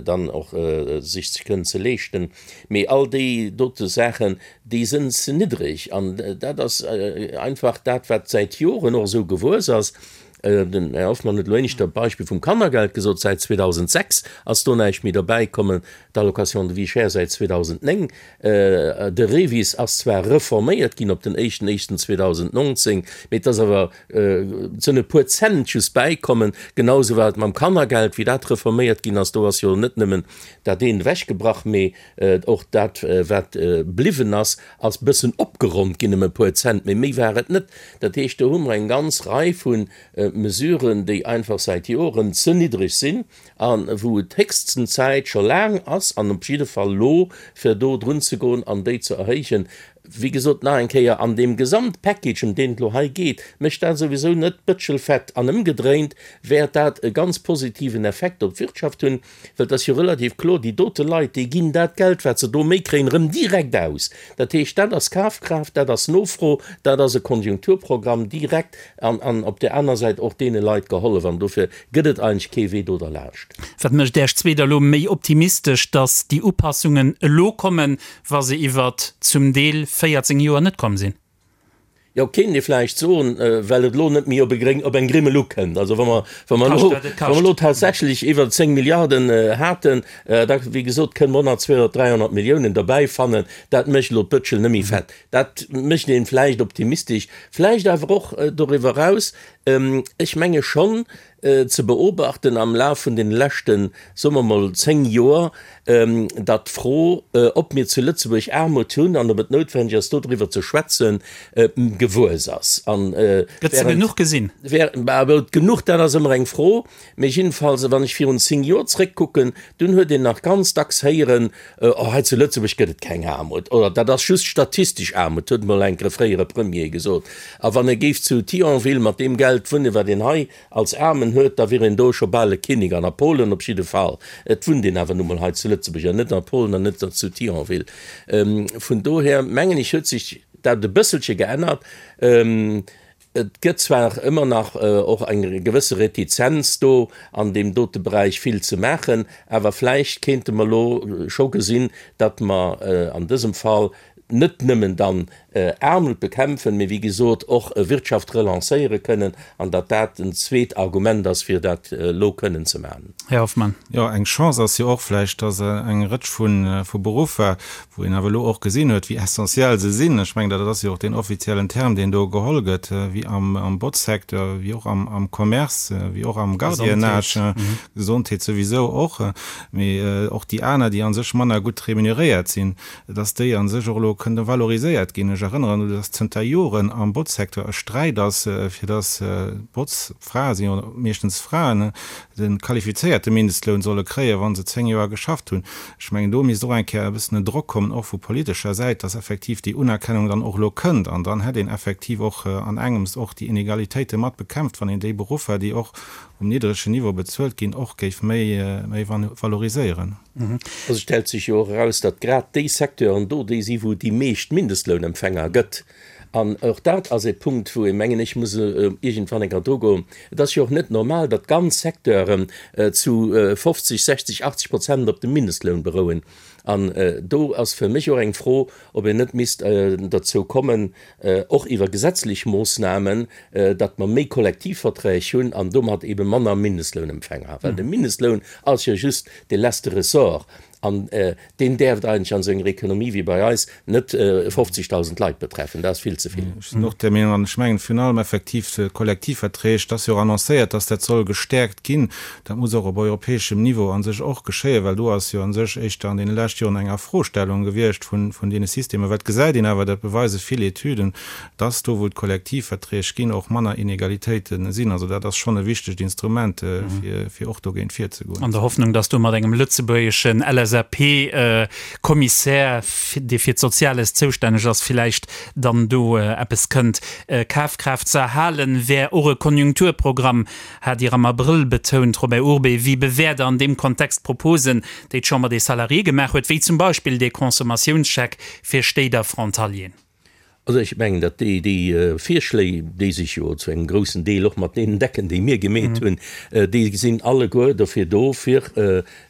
dann och sech ze kënnen ze leeschten. Mee all déi dote Saachen, déi sënn ze niddreg. An dat ass einfach dat, wat säit Joren och esou gewuess ass. Den Här Hoffmann huet elo éinescht dat Beispill vum Kannergeld gesot. Säit 2006 ass do näischt méi derbäikommen, d'Allocation de vie chère säit 2009. De REVIS ass zwar reforméiert ginn op den éischten éischten 2019, mee et ass awer, et sënn e puer Cent just bäikommen. Genau esou war et mam Kannergeld, wéi dat reforméiert ginn ass. Do ass jo net nëmmen dat eent ewechgebrach, mee och dat, wat bliwwen ass, ass bëssen opgeronnt ginn ëm e puer Cent, mee méi war et net. Dat heescht, do hu mer eng ganz Rei vu Mesuren, déi einfach säit Joren ze niddreg sinn. A wou et héchsten Zäit scho laang ass, an op jidde Fall elo, fir do drun ze goen an déi ze erhéijen. Wéi gesot, nach eng Kéier, an deem Gesamtpackage, ëm deen et elo hei geet, mécht dat souwisou net d'Bëtschel fett. An ëmgedréint wäert dat e ganz positiven Effekt op d'Wirtschaft hunn, well et ass jo relativ kloer, déi dote Leit, déi ginn dat Geld, wat se do méi kréien, erëm direkt aus. Dat heescht, dat ass Kafkraaft, dat ass Nofro, dat ass e Konjunkturprogramm direkt an, an op där aner Säit och deene Leit gehollef. An dofir gëtt et eigentlech kee Wee do derlaanscht. Wat mécht Äech zweet elo méi optimistesch, datt déi Upassungen elo kommen, wa se iwwert zum Deel 14 Joer net komm sinn? Jo, kéint ee vläicht soen, well et elo net méi op e gréng, op eng Grimmel ukënnt. Also wa mer, wa mer elo, wa mer elo tatsächlech iwwer 10 Milliarden haten, da, wéi gesot, kënne mer och nach 200, 300 Milliounen derbäi fannen. Dat mécht elo d'Bëtschel net méi fett. Dat mécht een vläicht optimistesch, vläicht awer och doriwwer eraus, ech menge schonn ze beobachten am Laf vun deene leschten, soe mer mol, 10 Joer, datt d'Fro, ob mir zu Lëtzebuerg Aarmut hunn an ob et noutwendeg ass, dodriwwer ze schwätzen, gewuess ass. Gëtt se genuch gesinn? Genuch, dat ass ëmmer eng Fro. Mee jiddefalls, wann ech virun 10 Joer zréckkucken, dunn huet een nach ganz dacks héieren, Oh, hei zu Lëtzebuerg gëtt et keng Aarmut, oder dat ass just statistesch Aarmut, huet emol enk e fréiere Premier gesot. A wann e géif zu Thionville mat deem Geld wunnen, wat een hei als Aarmen huet, da wier een do scho bal e Kinnek, an a Polen op jidde Fall. Et wunnt een awer nu mol hei zu Lëtzebuerg an net a Polen an net zu Thionville. Vun dohier mengen ech, huet sech dat e bësselche geännert. Et gëtt zwar ëmmer nach och eng gewësse Retizenz do, an deem dote Beräich vill ze maachen, awer vläicht kéinte mer elo scho gesinn, datt mer an dësem Fall net nëmmen dann Aarmut bekämpfen, mee wéi gesot och Wirtschaft relancéiere kënnen, an datt dat en zweet Argument ass, fir dat elo kënnen ze maachen. Här Hoffmann. Jo, eng Chance ass jo och vläicht, datt eng Rëtsch vu Beruffer, wou een awer elo och gesinn huet, wéi essentiell se sinn, ech mengen, dat ass jo och deen offiziellen Term, deen do geholl gëtt, wéi am Botzsecteur, wéi och am Commerce, wéi och am Gardiennage, Gesondheet souwisou och, mee och déi aner, déi a sech manner gutt remuneréiert sinn, dass déi a sech och elo. do kënne valoriséiert ginn. Ech erënneren un, dass zënter Joren am Botzsecteur e Sträit ass, fir dass d'Botzfrae, si jo meeschtens Fraen, de qualifizéierte Mindestloun solle kréien, wa se 10 Joer geschafft hunn. Ech mengen, do misst och eng Kéier e bëssen en Drock kommen, och vu politescher Säit, dass effektiv déi Unerkennung dann och elo kënnt. An dann hätt een effektiv och an engems och déi Inegalitéite mat bekämpft, wann een déi Beruffer, déi och um niddregen Niveau bezuelt ginn, och géif méi valoriséieren. Also et stellt sech jo och eraus, datt grad déi Secteuren do déi si wou et déi meescht Mindestlounempfänger gëtt. An och dat ass e Punkt, wou ee mengen ech muss iergendwann eng Kéier drugoen. Et ass jo och net normal, datt ganz Secteuren zu 50, 60, 80 Prozent op dem Mindestloun berouen. An do ass fir mech och eng Fro, ob een net misst dozou kommen, och iwwer gesetzlech Moossnamen, datt mer méi Kollektivverträg hunn an domat ebe manner Mindestlounempfänger. Well de Mindestloun ass jo just de letzte Ressort an deen däerft eigentlech an esou enger Economie wéi bei eis net 50.000 Leit betreffen. Dat ass vill ze vill. Ech sinn och där Meenung an ech mengen virun allem effektiv d'Kollektivverträg, et ass jo och annoncéiert, datt dat soll gestäerkt ginn. Dat muss och op europäeschem Niveau a sech och geschéien, well do ass jo a sech éischter an deene leschte Joren eng Afrostellung gewiescht vun deene Systemer. Well et gesäit een awer, dat beweise vill Etüden, dass do, wou et Kollektivverträg ginn, och manner Inegalitéite sinn. Also dat ass schonn e wichtegt Instrument, fir och dogéint virzegoen. An der Hoffnung, dass do mat engem lëtzebuergeschen LSAP-Kommissär, dee fir d'Soziales zoustänneg ass, villäicht dann do eppes kënnt. Kafkraaft ze erhalen, wär och e Konjunkturprogramm, hat Dir am Abrëll betount. Robert Urbé, wéi bewäert Der an deem Kontext d'Proposen, déi d'Chambre des Salariés gemaach huet, wéi zum Beispill dee Consommatiounsscheck fir Stéit a Frontalieren? Also ech mengen, datt déi, déi Virschléi, déi sech jo zu engem groussen Deel och mat deenen decken, déi mir gemeet hunn, déi sinn alleguer dofir do, fir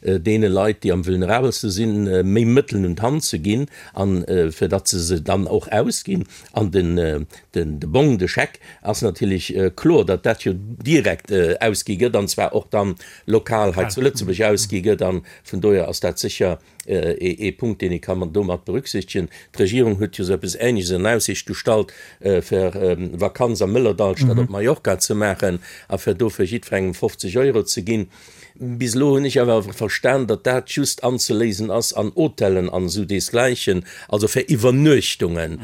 deene Leit, déi am vulnerabelste sinn, méi Mëttelen un d'Hand ze ginn a fir datt se se dann och ausginn. An den, den, de Bong, de Scheck ass natierlech kloer, datt dat jo direkt ausgi gëtt, an zwar och dann lokal hei zu Lëtzebuerg ausgi gëtt. A vun dohier ass dat sécher ee Punkt, deen ee ka domat berücksichtegen. D'Regierung huet jo esou eppes Ähnleches an Aussicht gestallt, fir Vakanz am Mëllerdall statt op Mallorca ze maachen a fir dofir jiddwerengem 50 Euro ze ginn. Bis elo hunn ech awer verstan, datt dat just anzeléisen ass an Hotellen an esou deesgläichen, also fir Iwwernuechtungen.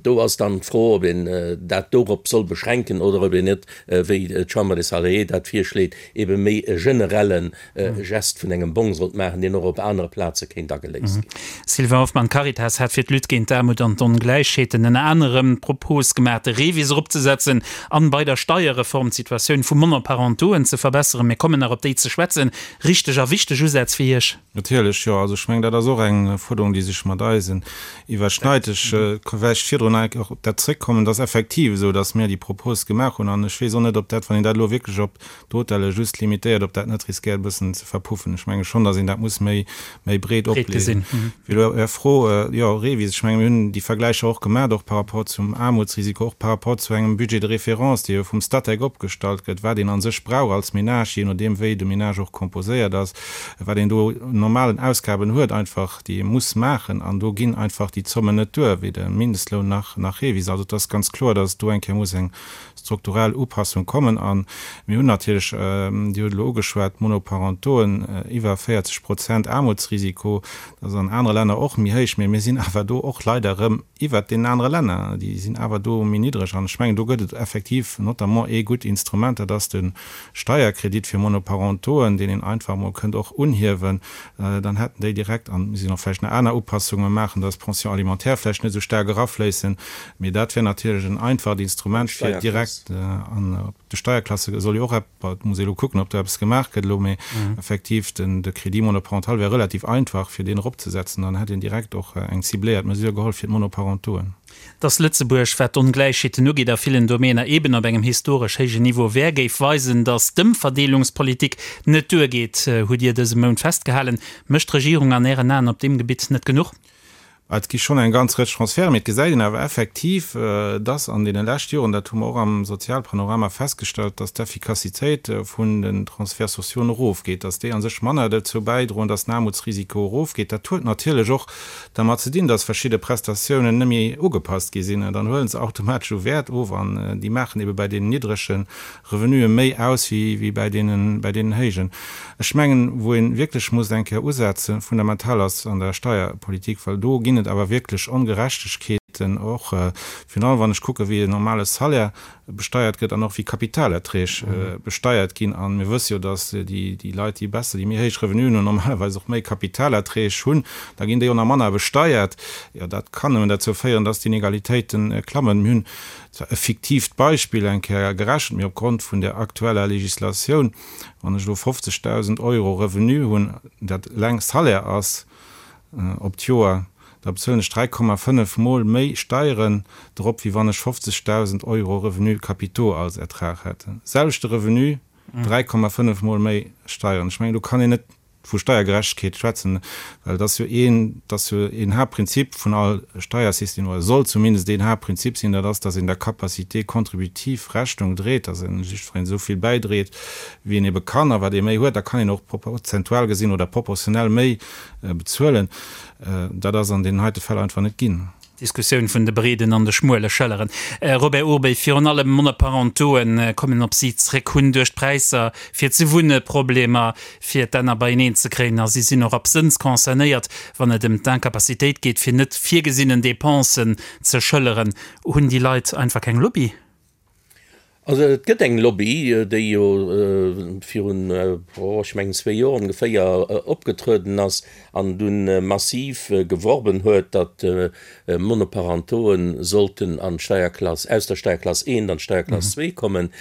Do ass dann d'Fro, ob een dat dorop soll beschränken oder ob een net, wéi d'Chambre des Salariés dat virschléit, ebe méi e generelle Gest vun engem Bong sollt maachen, deen och op anere Plaze kéint ageléist ginn. Sylvain Hoffmann, D'Caritas hat fir d'Lutte géint d'Aarmut an d'Ongläichheeten ënner anerem d'Propos gemaach, de REVIS eropzesetzen an bei der Steierreform d'Situatioun vu Monoparentoen ze verbesseren. Mir kommen nach op déi ze schwätzen. Richteg a wichteg Usätz fir Iech? Natierlech, jo. Also ech mengen, dat ass och eng Fuerderung, déi sech mat eisen iwwerschneit. Ech ka vläicht virdrun nach eng Kéier och op dat zréckkommen. Et ass effektiv esou, datt mir déi Propos gemaach hunn. An ech weess och net, ob dat, wann een dat elo wierklech op d'Hotelle just limitéiert, ob dat net riskéiert e bëssen ze verpuffen. Ech menge schonn, datt een dat muss méi, méi breet opleeën. Fir elo Är Fro, jo, REVIS, ech menge mir hunn déi Vergläicher och gemaach, och par rapport zum Aarmutsrisiko, och par rapport zu engem Budget de référence, dee jo vum Statec opgestallt gëtt, wat een a sech brauch als Menage, jee nodeem wéi de Menage och composéiert ass, wat een do un normalen Ausgaben huet einfach, déi ee muss maachen. An do ginn einfach déi Zommen net duer, weder Mindestloun nach, nach REVIS. Also et ass ganz kloer, datt et do eng Kéier muss eng strukturell Upassung kommen. A mir hunn natierlech, Dir hutt elo ugeschwat, d'Monoparentoen, iwwer 40 Prozent Aarmutsrisiko. Dat ass an anere Länner och méi héich, mä mir sinn awer do och leider erëm iwwert deenen anere Länner. Déi sinn awer do méi niddreg. An ech mengen, do gëtt et effektiv notamment ee gutt Instrument, dat ass de Steierkredit fir Monoparentoen, deen een einfach emol kënnt och unhiewen. Dann hätten déi direkt, an mir sinn och vläicht nach aner Upassunge maachen, dass d'Pension alimentaire vläicht net esou staark erafléissen, mee dat wär natierlech en einfacht Instrument fir direkt an op de Steierklasse soll jo och epp, et muss ee elo kucken, ob do eppes gemaach gëtt elo, mee effektiv den de Crédit monoparental wär relativ einfach fir deen eropzesetzen, dann hätt een direkt och eng cibléiert Mesure geholl fir d'Monoparentoen. Dass Lëtzebuerg, wat d'Ongläichheeten ugeet, a villen Domäner eben op engem historesch héijen Niveau wär, géif weisen, dass d'Ëmverdeelungspolitik net duergeet, hutt Dir dëse Mount festgehalen. Mécht d'Regierung an Ären Aen op deem Gebitt net genuch? Et gi schonn eng ganz Rëtsch Transferten, mee et gesäit een awer effektiv, dass an deene leschte Joren, dat hu mer och am Sozialpanorama festgestallt, dass d'Effikassitéit vun den Transferts sociaux erofgeet, dass déi a sech manner dozou bäidroen, dass den Aarmutsrisiko erofgeet. Dat huet natierlech och dermat ze dinn, dass verschidde Prestatiounen net méi ugepasst gi sinn, dann huele se automatesch u Wäert of an déi maachen ebe bei deenen niddrege Revenue méi aus wéi bei deenen, bei deenen héijen. Ech mengen, wou ee wierklech muss eng Kéier usetzen, fundamental ass an der Steierpolitik, well do ginn. ginn et awer wierklech Ongerechtegkeeten, och virun allem wann ech kucke wéi en normale Salaire besteiert gëtt an och wéi Kapitalerträg besteiert ginn. A mir wësse jo, datt déi Leit, déi besser, déi méi héich Revenuen hunn, normalerweis och méi Kapitalerträg hunn. Da ginn déi och nach manner besteiert. Jo, dat kann nëmmen derzou féieren, datt d'Inegalitéite klammen. Mir hunn zwar e fiktiivt Beispill eng Kéier gerechent, mee opgrond vun der aktueller Legislatioun, wann ech elo 50.000 Euro Revenu hunn, dat eleng Salaire ass, op d'Joer, da bezuelen ech 3,5 mol méi Steieren drop, wéi wann ech 50.000 Euro Revenu capitaux als Ertrag hätt. Selwechte Revenu, 3,5 mol méi Steieren. Ech mengen, do kann een net vu Steiergerechtegkeet schwätzen, well et ass jo een, et ass jo een Haaptprinzip vun all Steiersystem, oder soll zumindest een Haaptprinzip sinn, dat ass, dass een der Capacité contributive Rechnung dréit, dass een jiddwereen esou vill bäidréit, wéi een ebe kann. A wat ee méi huet, da kann een och prozentual gesinn oder proportionell méi bezuelen. Dat ass an deenen heite Fäll einfach net ginn. D'Diskussioun vun de breeden an de schmuele Schëlleren. Robert Urbé, Virun allem Monoparentoen kommen op si zréck, hunn duerch d'Präisser fir ze wunne Problemer fir d'Enner beieneen ze kréien a si sinn och absënns concernéiert, wann et ëm d'Incapacitéit geet fir net virgesinnen Dépensen ze schëlleren. Hunn déi Leit einfach keng Lobby? Also et gëtt eng Lobby, déi jo virun, oh ech mengen zwee Joer ongeféier opgetrueden ass an dunn massiv geworben huet, datt Monoparentoen sollten an d'Steierklass, aus der Steierklass eent an d'Steierklass zwee kommen.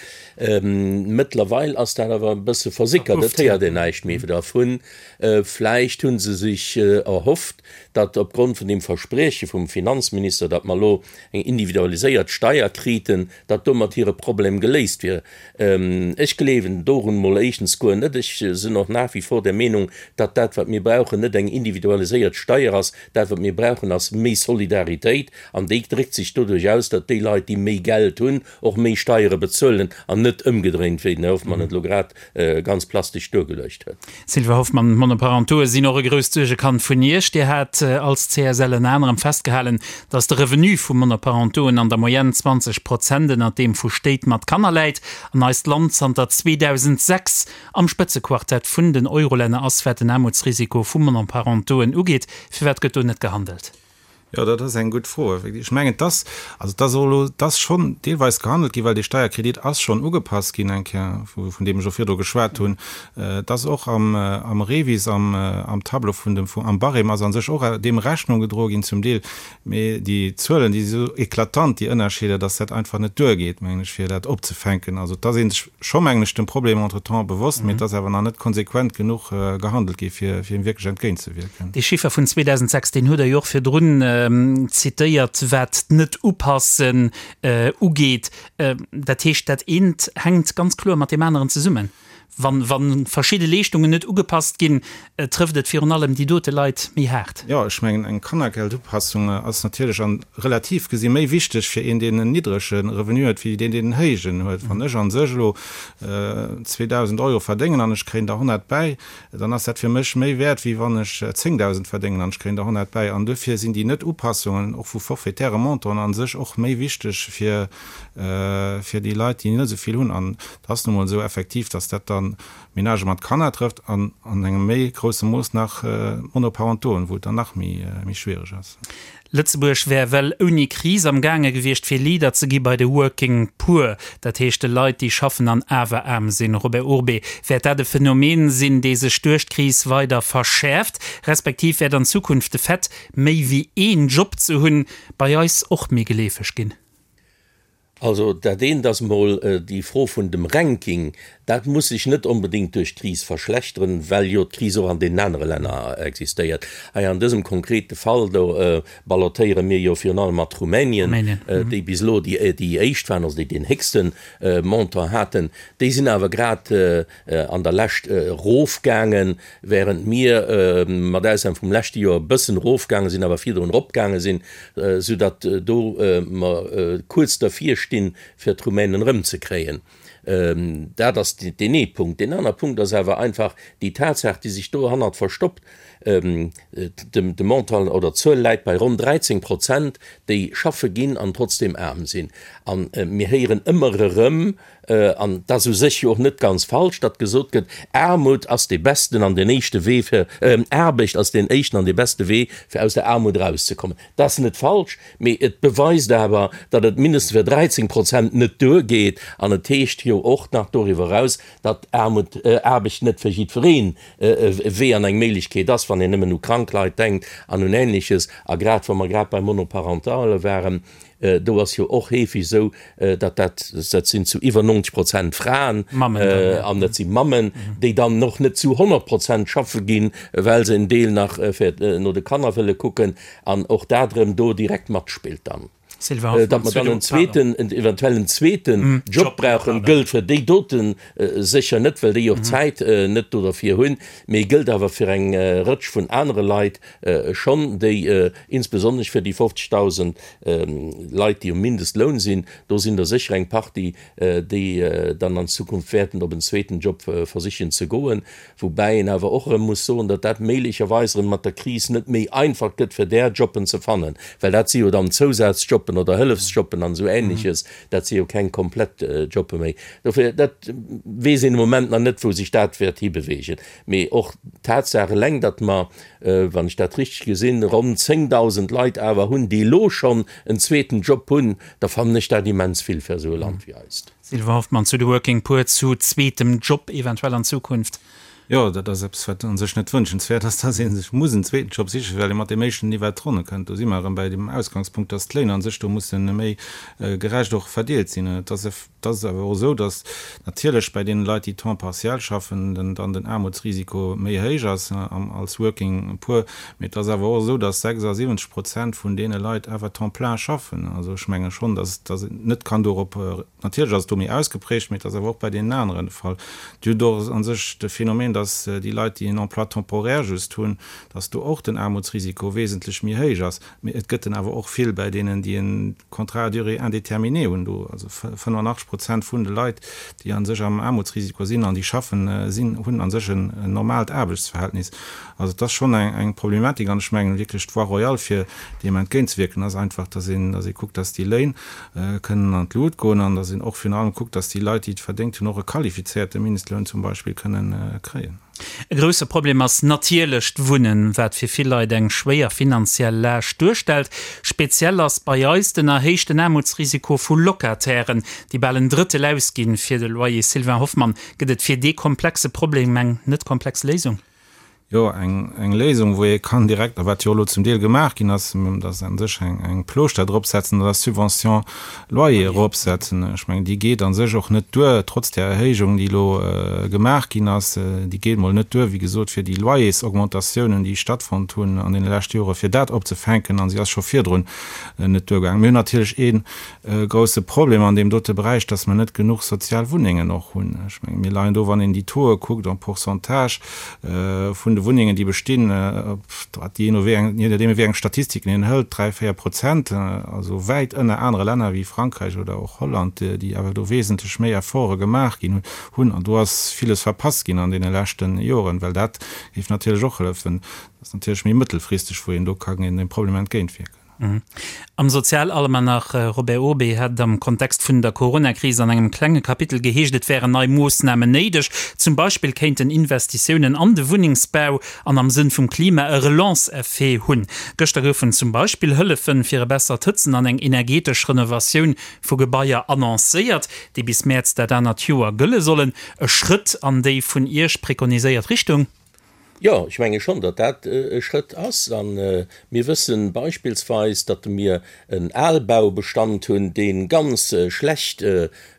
Mëttlerweil ass dat awer e bësse versickert, et héiert een näischt méi dervun. Vläicht hu se sech erhofft, datt opgrond vun deem Versprieche vum Finanzminister, datt mer elo eng individualiséiert Steier kriten, datt domat hire Problem geléist wier. Ech gleewen dorun mol éischtens guer net. Ech sinn och nach wie vor der Meenung, datt dat, wat mir brauchen, net eng individualiséiert Steier ass. Dat, wat mir brauchen, ass méi Solidaritéit. An déi dréckt sech doduerch aus, datt déi Leit, déi méi Geld hunn, och méi Steiere bezuelen an net ëmgedréint, wéi den Här Hoffmann et elo grad ganz plastesch duergeluecht huet. Sylvie Hoffmann, D'Monoparentoe sinn och e grousst Suergekand vun Iech. Dir hat als CSL ënner anerem festgehalen, datt de Revenu vu Monoparentoen an der Moyenne 20 Prozent ënnert deem vu Stéit mat Kanner läit an eist Land zanter 2006 am Spëtzequartett vun den Eurolänner ass, wat den Aarmutsrisiko vu Monoparentoen ugeet. Firwat gëtt do net gehandelt? Jo, dat ass eng gutt Fro. Ech mengen, et ass, also et ass och elo, et ass schonn deelweis gehandelt ginn, well dee Steierkredit ass schonn ugepasst ginn eng Kéier, vun deem ech och virdru geschwat hunn. Et ass och am, am REVIS, am, am Tableau vun dem, am Barème ass a sech och deem Rechnung gedroe ginn zum Deel. Mee déi Zuelen, déi si sou eklatant, déi Ënnerscheeder, dass dat einfach net duergeet, mengen ech, fir dat opzefänken. Also et ass ee sech scho, mengen ech, dem Problem entretemps bewosst, mee et ass awer nach net konsequent genuch gehandelt gi fir, fir him wierklech entgéintzewierken. Dee Chiffer vun 2006, deen hutt Der jo och virdrun zitéiert, wat d'Net-Upassen ugeet. Dat heescht, dat eent hänkt ganz kloer mat deem aneren zesummen. Wa verschidde Leeschtungen net ugepasst ginn, trëfft et virun allem déi dote Leit méi haart. Jo, ech mengen, eng Kannergeldupassung ass natierlech an relativ gesi méi wichteg fir een, deen en niddrege Revenu huet, wéi deen, deen en héijen huet. Wann ech a sech elo 2.000 Euro verdéngen an ech kréien der 100 bäi, dann ass dat fir mech méi wäert, wéi wann ech 10.000 verdéngen an ech kréien der 100 bäi. An duerfir sinn déi Net-Upassungen och vu forfaitäre Montanten a sech och méi wichteg fir, fir déi Leit, déi net esou vill hunn. An et ass nu mol esou effektiv, dass dat da Menagë mat Kanner trëfft an an engem méi grousse Mooss nach Monoparentoen, wou et dann nach méi, méi schwiereg ass. Lëtzebuerg wär well ouni Kris am gaange gewiescht fir Leader ze gi bei de Working Poor, dat heescht de Leit déi schaffen an awer aarm sinn. Robert Urbé, Wäert dat e Phänomen sinn dee sech duerch d'Kris weider verschäerft, respektiv wäert an Zukunft de Fait méi wéi een Job ze hunn bei eis och méi geleefeg ginn? Also dat eent ass emol déi Fro vun dem Ranking. Dat muss sech net onbedéngt duerch d'Kris verschlechteren, well jo d'Kris och an deenen anere Länner existéiert. Hei an dësem konkrete Fall do ballottéiere mir jo virun allem mat Rumänien, déi bis elo déi éischt waren, also déi deen héchste Montant haten. Déi sinn awer grad an der Lescht erofgaangen, während mir, mat Ausnam vum leschte Joer, e bëssen erofgaange sinn, awer virdrun eropgaange sinn, soudatt do mer kuerz dervir stinn, fir d'Rumänen erëmzekréien. Dat ass deen ee Punkt. Deen aner Punkt ass awer einfach déi Tatsaach, déi sech dohannert verstoppt. De Montant oder d'Zuel läit bei ronn 13 Prozent, déi schaffe ginn an trotzdeem aarm sinn. A mir héieren ëmmer erëm, an et ass u sech jo och net ganz falsch, datt gesot gëtt, Aarmut ass dee besten an deen éischte Wee fir, Aarbecht ass deen éischten an dee beste Wee fir aus der Aarmut erauszekommen. Dat ass net falsch, mee et beweist awer, datt et mindestens fir 13 Prozent net duergeet. An et heescht jo och nach doriwwer eraus, datt Aarmut, Aarbecht net fir jiddwereen e Wee an eng Méiglechkeet ass, wann een nëmmen u krank Leit denkt an un Ähnleches. A grad wa mer grad bei Monoparentale waren, do ass jo och heefeg esou, datt dat, dat sinn zu iwwer 90 Prozent Fraen an dat si Mammen, déi dann och net zu 100 Prozent schaffe ginn, well se en Deel nach fir no de Kanner wëlle kucken an och dat erëm do direkt matspillt dann. Datt mer dann en zweeten, en eventuell en zweeten Job brauchen, gëllt fir déi dote sécher net, well déi och d'Zäit net do derfir hunn, mee gëllt awer fir eng Rëtsch vun anere Leit schonn, déi insbesonnesch fir déi 50.000 Leit, déi um Mindestloun sinn, do sinn der sécher eng Partie, déi dann an Zukunft wäerten op en zweeten Job versichen ze goen. Woubäi een awer och erëm muss soen, datt dat méiglecherweis erëm mat der Kris net méi einfach gëtt, fir där Jobben ze fannen, well dat si jo dann Zousazjobben oder Hëllefsjobben an esou Ähnleches, dat si jo keng komplett Jobbe méi. Dofir, dat weess een de Moment nach net, wou sech dat wäert hibewegen. Mee och d'Tatsaach eleng, datt mer, wann ech dat richteg gesinn, ronn 10.000 Leit awer hunn, déi elo schonn en zweeten Job hunn, da fannen ech dat immens vill fir esou e Land wéi eist. Sylvain Hoffmann zu de Working Poor, zu zweetem Job eventuell an Zukunft. Jo, dat ass eppes, wat u sech net wënschenswäert ass, dass ee sech muss en zweeten Job sichen, well ee mat deem éischten ni iwwert d'Ronne kënnt. Do si mer erëm bäi dem Ausgangspunkt, dass d'Léin a sech do musse méi gerecht och verdeelt sinn. Et ass, et ass awer och esou, dass natierlech bäi deene Leit, déi temps partiel schaffen, den, dann den Aarmutsrisiko méi héich ass als Working Poor. Mee et ass awer och esou, dass 76 Prozent vun deene Leit awer temps plein schaffen. Also ech menge schonn, dass, dass een net kann dorop, natierlech ass et do méi ausgeprägt, mee et ass awer och bei deenen aneren de Fall. Dir hutt och a sech de Phänomen, dass déi Leit, déi en Emploi temporaire just hunn, dass do och den Aarmutsrisiko wesentlech méi héich ass. Mee et gëtt en awer och vill bäi deenen, déi en Contrat à durée indéterminée hunn. Do also 85 Prozent vun de Leit, déi a sech am Aarmutsrisiko sinn an déi schaffen, sinn, hunn a sech en normaalt Aarbechtsverhältnis. Also et ass schonn eng Problematik an ech mengen wierklech d'Voie royale fir deem entgéintzewierken ass einfach, dass een, dass ee kuckt, dass déi Léin kënnen an d'Lut goen an dass een och virun allem kuckt, dass déi Leit, déi et verdéngt hunn, och e qualifizéierte Mindestloun zum Beispill kënnen kréien. E grousse Problem ass natierlech d'Wunnen, wat fir vill Leit eng schwéier finanziell Laascht duerstellt. Speziell ass bei eis den erhéichten Aarmutsrisiko vu Locatairen, déi bal en Drëttel ausginn fir de Loyer. Sylvain Hoffmann, Gëtt et fir dee komplexe Problem eng net komplex Léisung? Jo, eng Léisung, wou ee kann direkt, a wat jo elo zum Deel gemaach ginn ass, dass a sech eng Plooschter dropsetzen oder Subvention loyer eropsetzen. Ech mengen, déi geet a sech och net duer, trotz där Erhéijung, déi elo gemaach ginn ass. Déi geet emol net duer, wéi gesot, fir déi Loyersaugmentatiounen, déi stattfonnt hunn an deene leschte Jore, fir dat opzefänken. A si ass scho virdrun net duergaangen. Mir hunn natierlech ee grousse Problem an deem dote Beräich, dass mer net genuch sozial Wunnengen och hunn. Ech mengen, mir leien do, wann een déi Tauxe kuckt en Pourcentage vun de Wunnengen, déi bestinn, wat jee no wéi eng, jee nodeem wéi eng Statistiken een hëlt, 3, 4 Prozent, also wäit ënner anere Länner wéi Frankräich oder och Holland, déi awer do wesentlech méi Efforte gemaach ginn hunn. An do ass villes verpasst ginn an deene leschte Joren, well dat géif natierlech och hëllefen. Dat ass natierlech méi mëttelfristeg, wou een do ka deem Problem entgéintwierken. Am Sozialalmanach Robert Urbé hat et am Kontext vun der Coronakris an engem klenge Kapitel geheescht, et wären nei Moossnamen néideg. Zum Beispill kéinten Investitiounen an de Wunnengsbau an am Sënn vum Klima e Relance-Effet hunn. Gëschter goufen zum Beispill Hëllefe fir e bessert Hëtzen an eng energetesch Renovatioun vu Gebaier annoncéiert, déi bis Mäerz dat anert Joer gëlle sollen. E Schrëtt an déi vun Iech prekoniséiert Richtung? Jo, ech menge schonn, datt dat e Schrëtt ass. A mir wësse beispillsweis, datt mir en Albaubestand hunn, dee ganz schlecht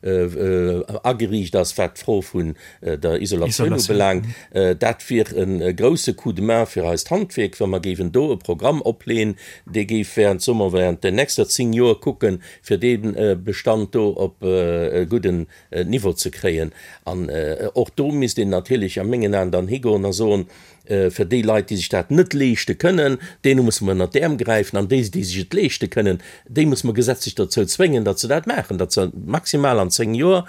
ageriicht ass, wat d'Fro vun der Isolatioun ubelaangt. Dat wier e grousse Coup de main fir eist Handwierk, wa mer géiwen do e Programm opleeën, dee géif während, soe mer, während den nächster 10 Joer kucken, fir dee Bestand do op e gudden Niveau ze kréien. An och do misst een natierlech a mengen Aen dann higoen a soen, Fir déi Leit, déi sech dat net leeschte kënnen, deene musse mer ënnert d'Äerm gräifen an déi, déi sech et leeschte kënnen, déi musse mer gesetzlech dozou zwéngen, datt se dat maachen, datt se maximal an 10 Joer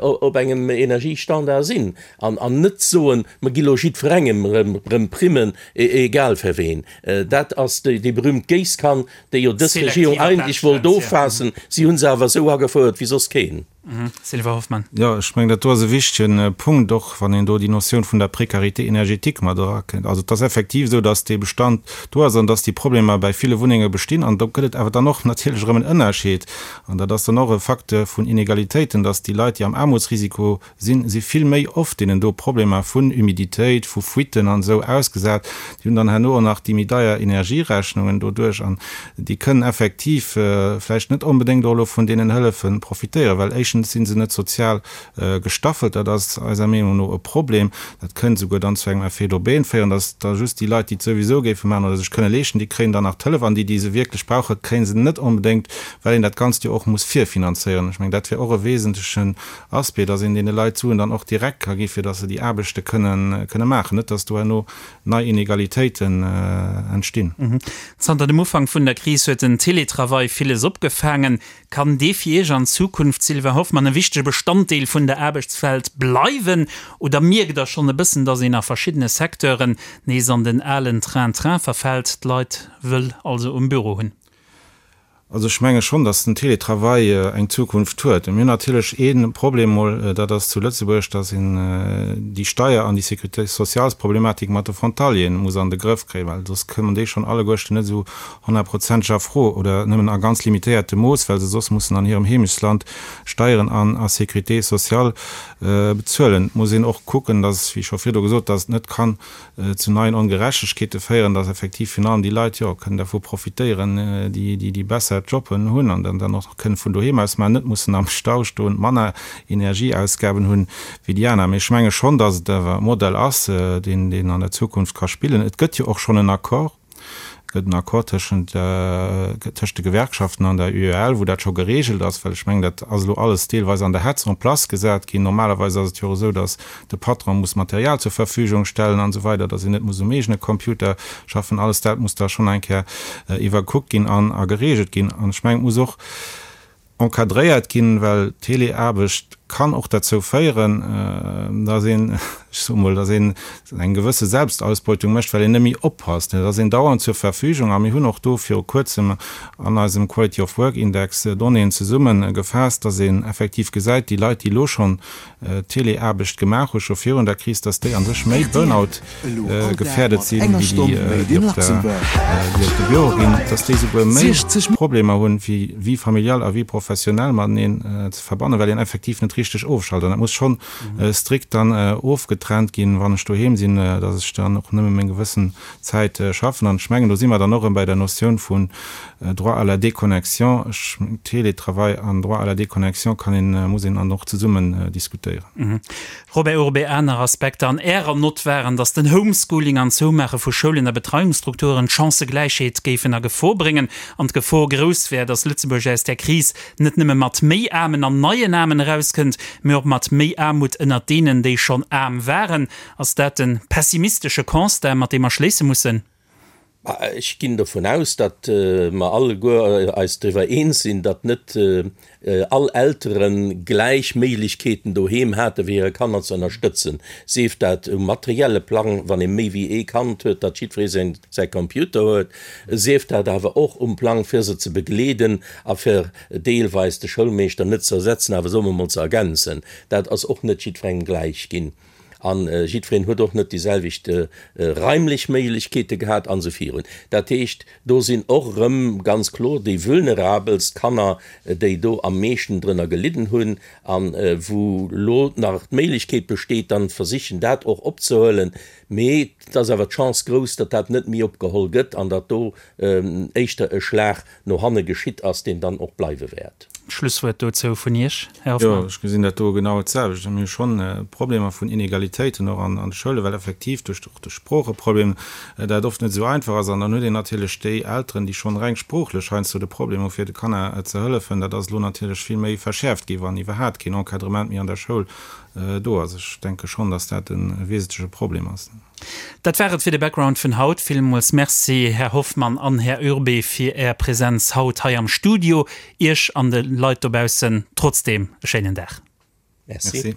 op engem Energiestandard sinn an net soen, mer gi lo jiddwerengem erëm Primmen, egal fir ween. Dat ass déi berühmt Géisskan, déi jo dës Regierung eigentlech wollt offaassen. Si hu se awer esou agefouert wéi soss keen. Sylvain Hoffmann. Jo, ech mengen, dat do ass e wichtege Punkt, och wann een do déi Notioun vun der Précarité énergétique mat erakënnt. Also et ass effektiv esou, dass dee Bestand do ass an dass déi Problemer bäi ville Wunnenge bestinn. An do gëtt et awer dann och natierlech erëm en Ënnerscheed, an dat ass dann och e Facteur vun Inegalitéiten, dass déi Leit, déi am Aarmutsrisiko sinn, si vill méi oft deenen do Problemer vun Humiditéit, vu Fuiten an esou ausgesat. Déi hunn dann herno och nach déi méi deier Energierechnungen doduerch an déi kënnen effektiv vläicht net onbedéngt och elo vun deenen Hëllefe profitéieren, well éischtens si se net sozial gestaffelt, dat ass eiser Meenung no e Problem. Dat kënnt esouguer dann zu engem Effet d'aubaine féieren, dass da just déi Leit, déi et souwisou géife maachen oder sech kënne leeschten, déi kréien dann nach d'Hëllef an déi, déi se wierklech brauchen, kréie se net onbedéngt, well een dat Ganzt jo och muss virfinanzéieren. Ech mengen, dat wär och e wesentlechen Aspect, dass een deene Leit d'Suen dann och direkt ka gi fir dass se déi Aarbechte kënne kënne maachen, net dass do herno nei Inegalitéiten entstinn. Zanter dem Ufank vun der Kris huet den Teletravail villes opgefaangen. Kann dee fir Iech an Zukunft, Sylvain Hoffmann, e wichtege Bestanddeel vun der Aarbechtswelt bleiwen oder mierkt Der schonn e bëssen, dass een a verschiddene Secteuren nees an den alen Train-train verfält, d'Leit wëll also um Büro hunn? Also ech menge schonn, datt den Télétravail eng Zukunft huet. Mir hunn natierlech ee Problem mol, dat ass zu Lëtzebuerg, datt een déi Steier an déi Sécurité sociales-Problematik mat de Frontalieren muss an de Grëff kréien, well soss kommen déi schonn alleguerten net esou honnertprozenteg a Fro oder nëmmen a ganz limitéiertem Mooss, well se soss mussen an hirem Heemechtsland Steieren an a Sécurité sociale bezuelen. Et muss een och kucken, datt, wéi scho virdu gesot, datt et net kann zu neien Ongerechtegkeete féieren, dass effektiv virun allem déi Leit, jo, kënnen dervu profitéieren, déi, déi besser Jobben hunn an dann dann och kënnen vun doheem aus maachen, net mussen am Stau stoen, manner Energieausgaben hunn wéi déi aner. Mee ech menge schonn, dass et awer e Modell ass, deen, deen an der Zukunft ka spillen. Et gëtt jo och schonn en Accord, et gëtt en Accord tëschent, tëschent de Gewerkschaften an der UEL, wou dat scho geregelt ass, well ech mengen, dat ass elo alles deelweis an der Hetz en place gesat ginn. Normalerweis ass et jo och esou, dass de Patron muss Material zur Verfügung stellen an esou weider, dass een net muss um eegene Computer schaffen, alles dat muss da schonn eng Kéier iwwerkuckt ginn an a geregelt ginn. An ech mengen, et muss och encadréiert ginn, well Teleaarbecht kann och derzou féieren, dass een, ech soe mol, dass een eng gewësse Selbstausbeutung mécht, well een net méi oppasst. Et ass een dauernd zur Verfügung a mir hunn och do viru kuerzem an eisem Quality of Work Index Donnéeën zesumme gefaasst, dass een effektiv gesäit, déi Leit, déi elo schonn Teleaarbecht gemaach hu scho virun der Kris, datt déi a sech méi Burnout gefährdet sinn, wéi déi, déi op de Büro ginn, datt déi souguer méi Problemer hunn, fir Vie familiale a Vie professionnelle mateneen ze verbannen, well een effektiv net richteg ofschalt. An dat muss schonn strikt dann ofgetrennt ginn, wann ech doheem sinn, datt ech dann och nëmme meng gewëssen Zäit schaffen. An ech mengen, do si mer dann och erëm bei der Notioun vun Droit à la déconnexion, ech mengen, Télétravail an Droit à la déconnexion kann een, muss een dann och zesummen diskutéieren. Robert Urbé, Aner Aspekter an Ärer Nott waren, datt den Homeschooling an d'Zoumaache vu Schoulen a Betreiungsstrukturen d'Chancëgläichheet géifen a Gefor bréngen an d'Gefor grouss wär, datt Lëtzebuerg aus där Kris net nëmme mat méi Aarmen an neien Aarmen erauskënnt, mee och mat méi Aarmut ënnert deenen, déi schonn aarm waren. Ass dat e pessimistesche Constat, mat deem mer schléisse mussen? Ech ginn dovun aus, datt mer alleguer eis driwwer eens sinn, datt net all Eltere gläich Méiglechkeeten doheem hate fir hire Kanner ze ënnerstëtzen, sief dat um materielle Plang, wann ee méi wéi ee Kand huet, datt jiddweree säin säi Computer huet, sief dat awer och um Plang fir se ze begleeden a fir deelweis de Schoulmeeschter net ze ersetzen, awer soe mer mol ze ergänzen. Dat ass och net jiddwerengem gläich ginn. A jiddwereen huet och net déi selwecht raimlech Méiglechkeete gehat an esou virun. Dat heescht, do sinn och erëm ganz kloer déi vulnerabelst Kanner, déi do am meeschten drënner gelidden hunn a wou elo nach d'Méiglechkeet besteet, dann versichen dat och opzehuelen. Mee et ass awer d'Chance grouss, datt dat net méi opgeholl gëtt an datt do éischter e Schlag no hanne geschitt ass, deen dann och bleiwe wäert. D'Schlusswuert dozou vun Iech, Här Hoffmann. Jo, ech gesinn dat do genau d'selwecht. Mir hu schonn Problemer vun Inegalitéiten och an de Schoulen, well effektiv duerch och de Sproocheproblem dat oft net esou einfach ass. An dann huet een natierlech déi Elteren, déi schonn reng sproochlech heiansdo de Problem hu fir de Kanner ze hëllefen. Dat ass elo natierlech vill méi verschäerft gi wann iwwerhaat keen Encadrement méi an der Schoul do ass. Ech denke schonn, datt dat e wesentleche Problem ass. Dat war et fir de Background vun haut. Villmools Merci, Här Hoffmann an Här Urbé, fir Är Präsenz haut hei am Studio. Iech an de Leit dobaussen trotzdeem e schéinen Dag. Merci.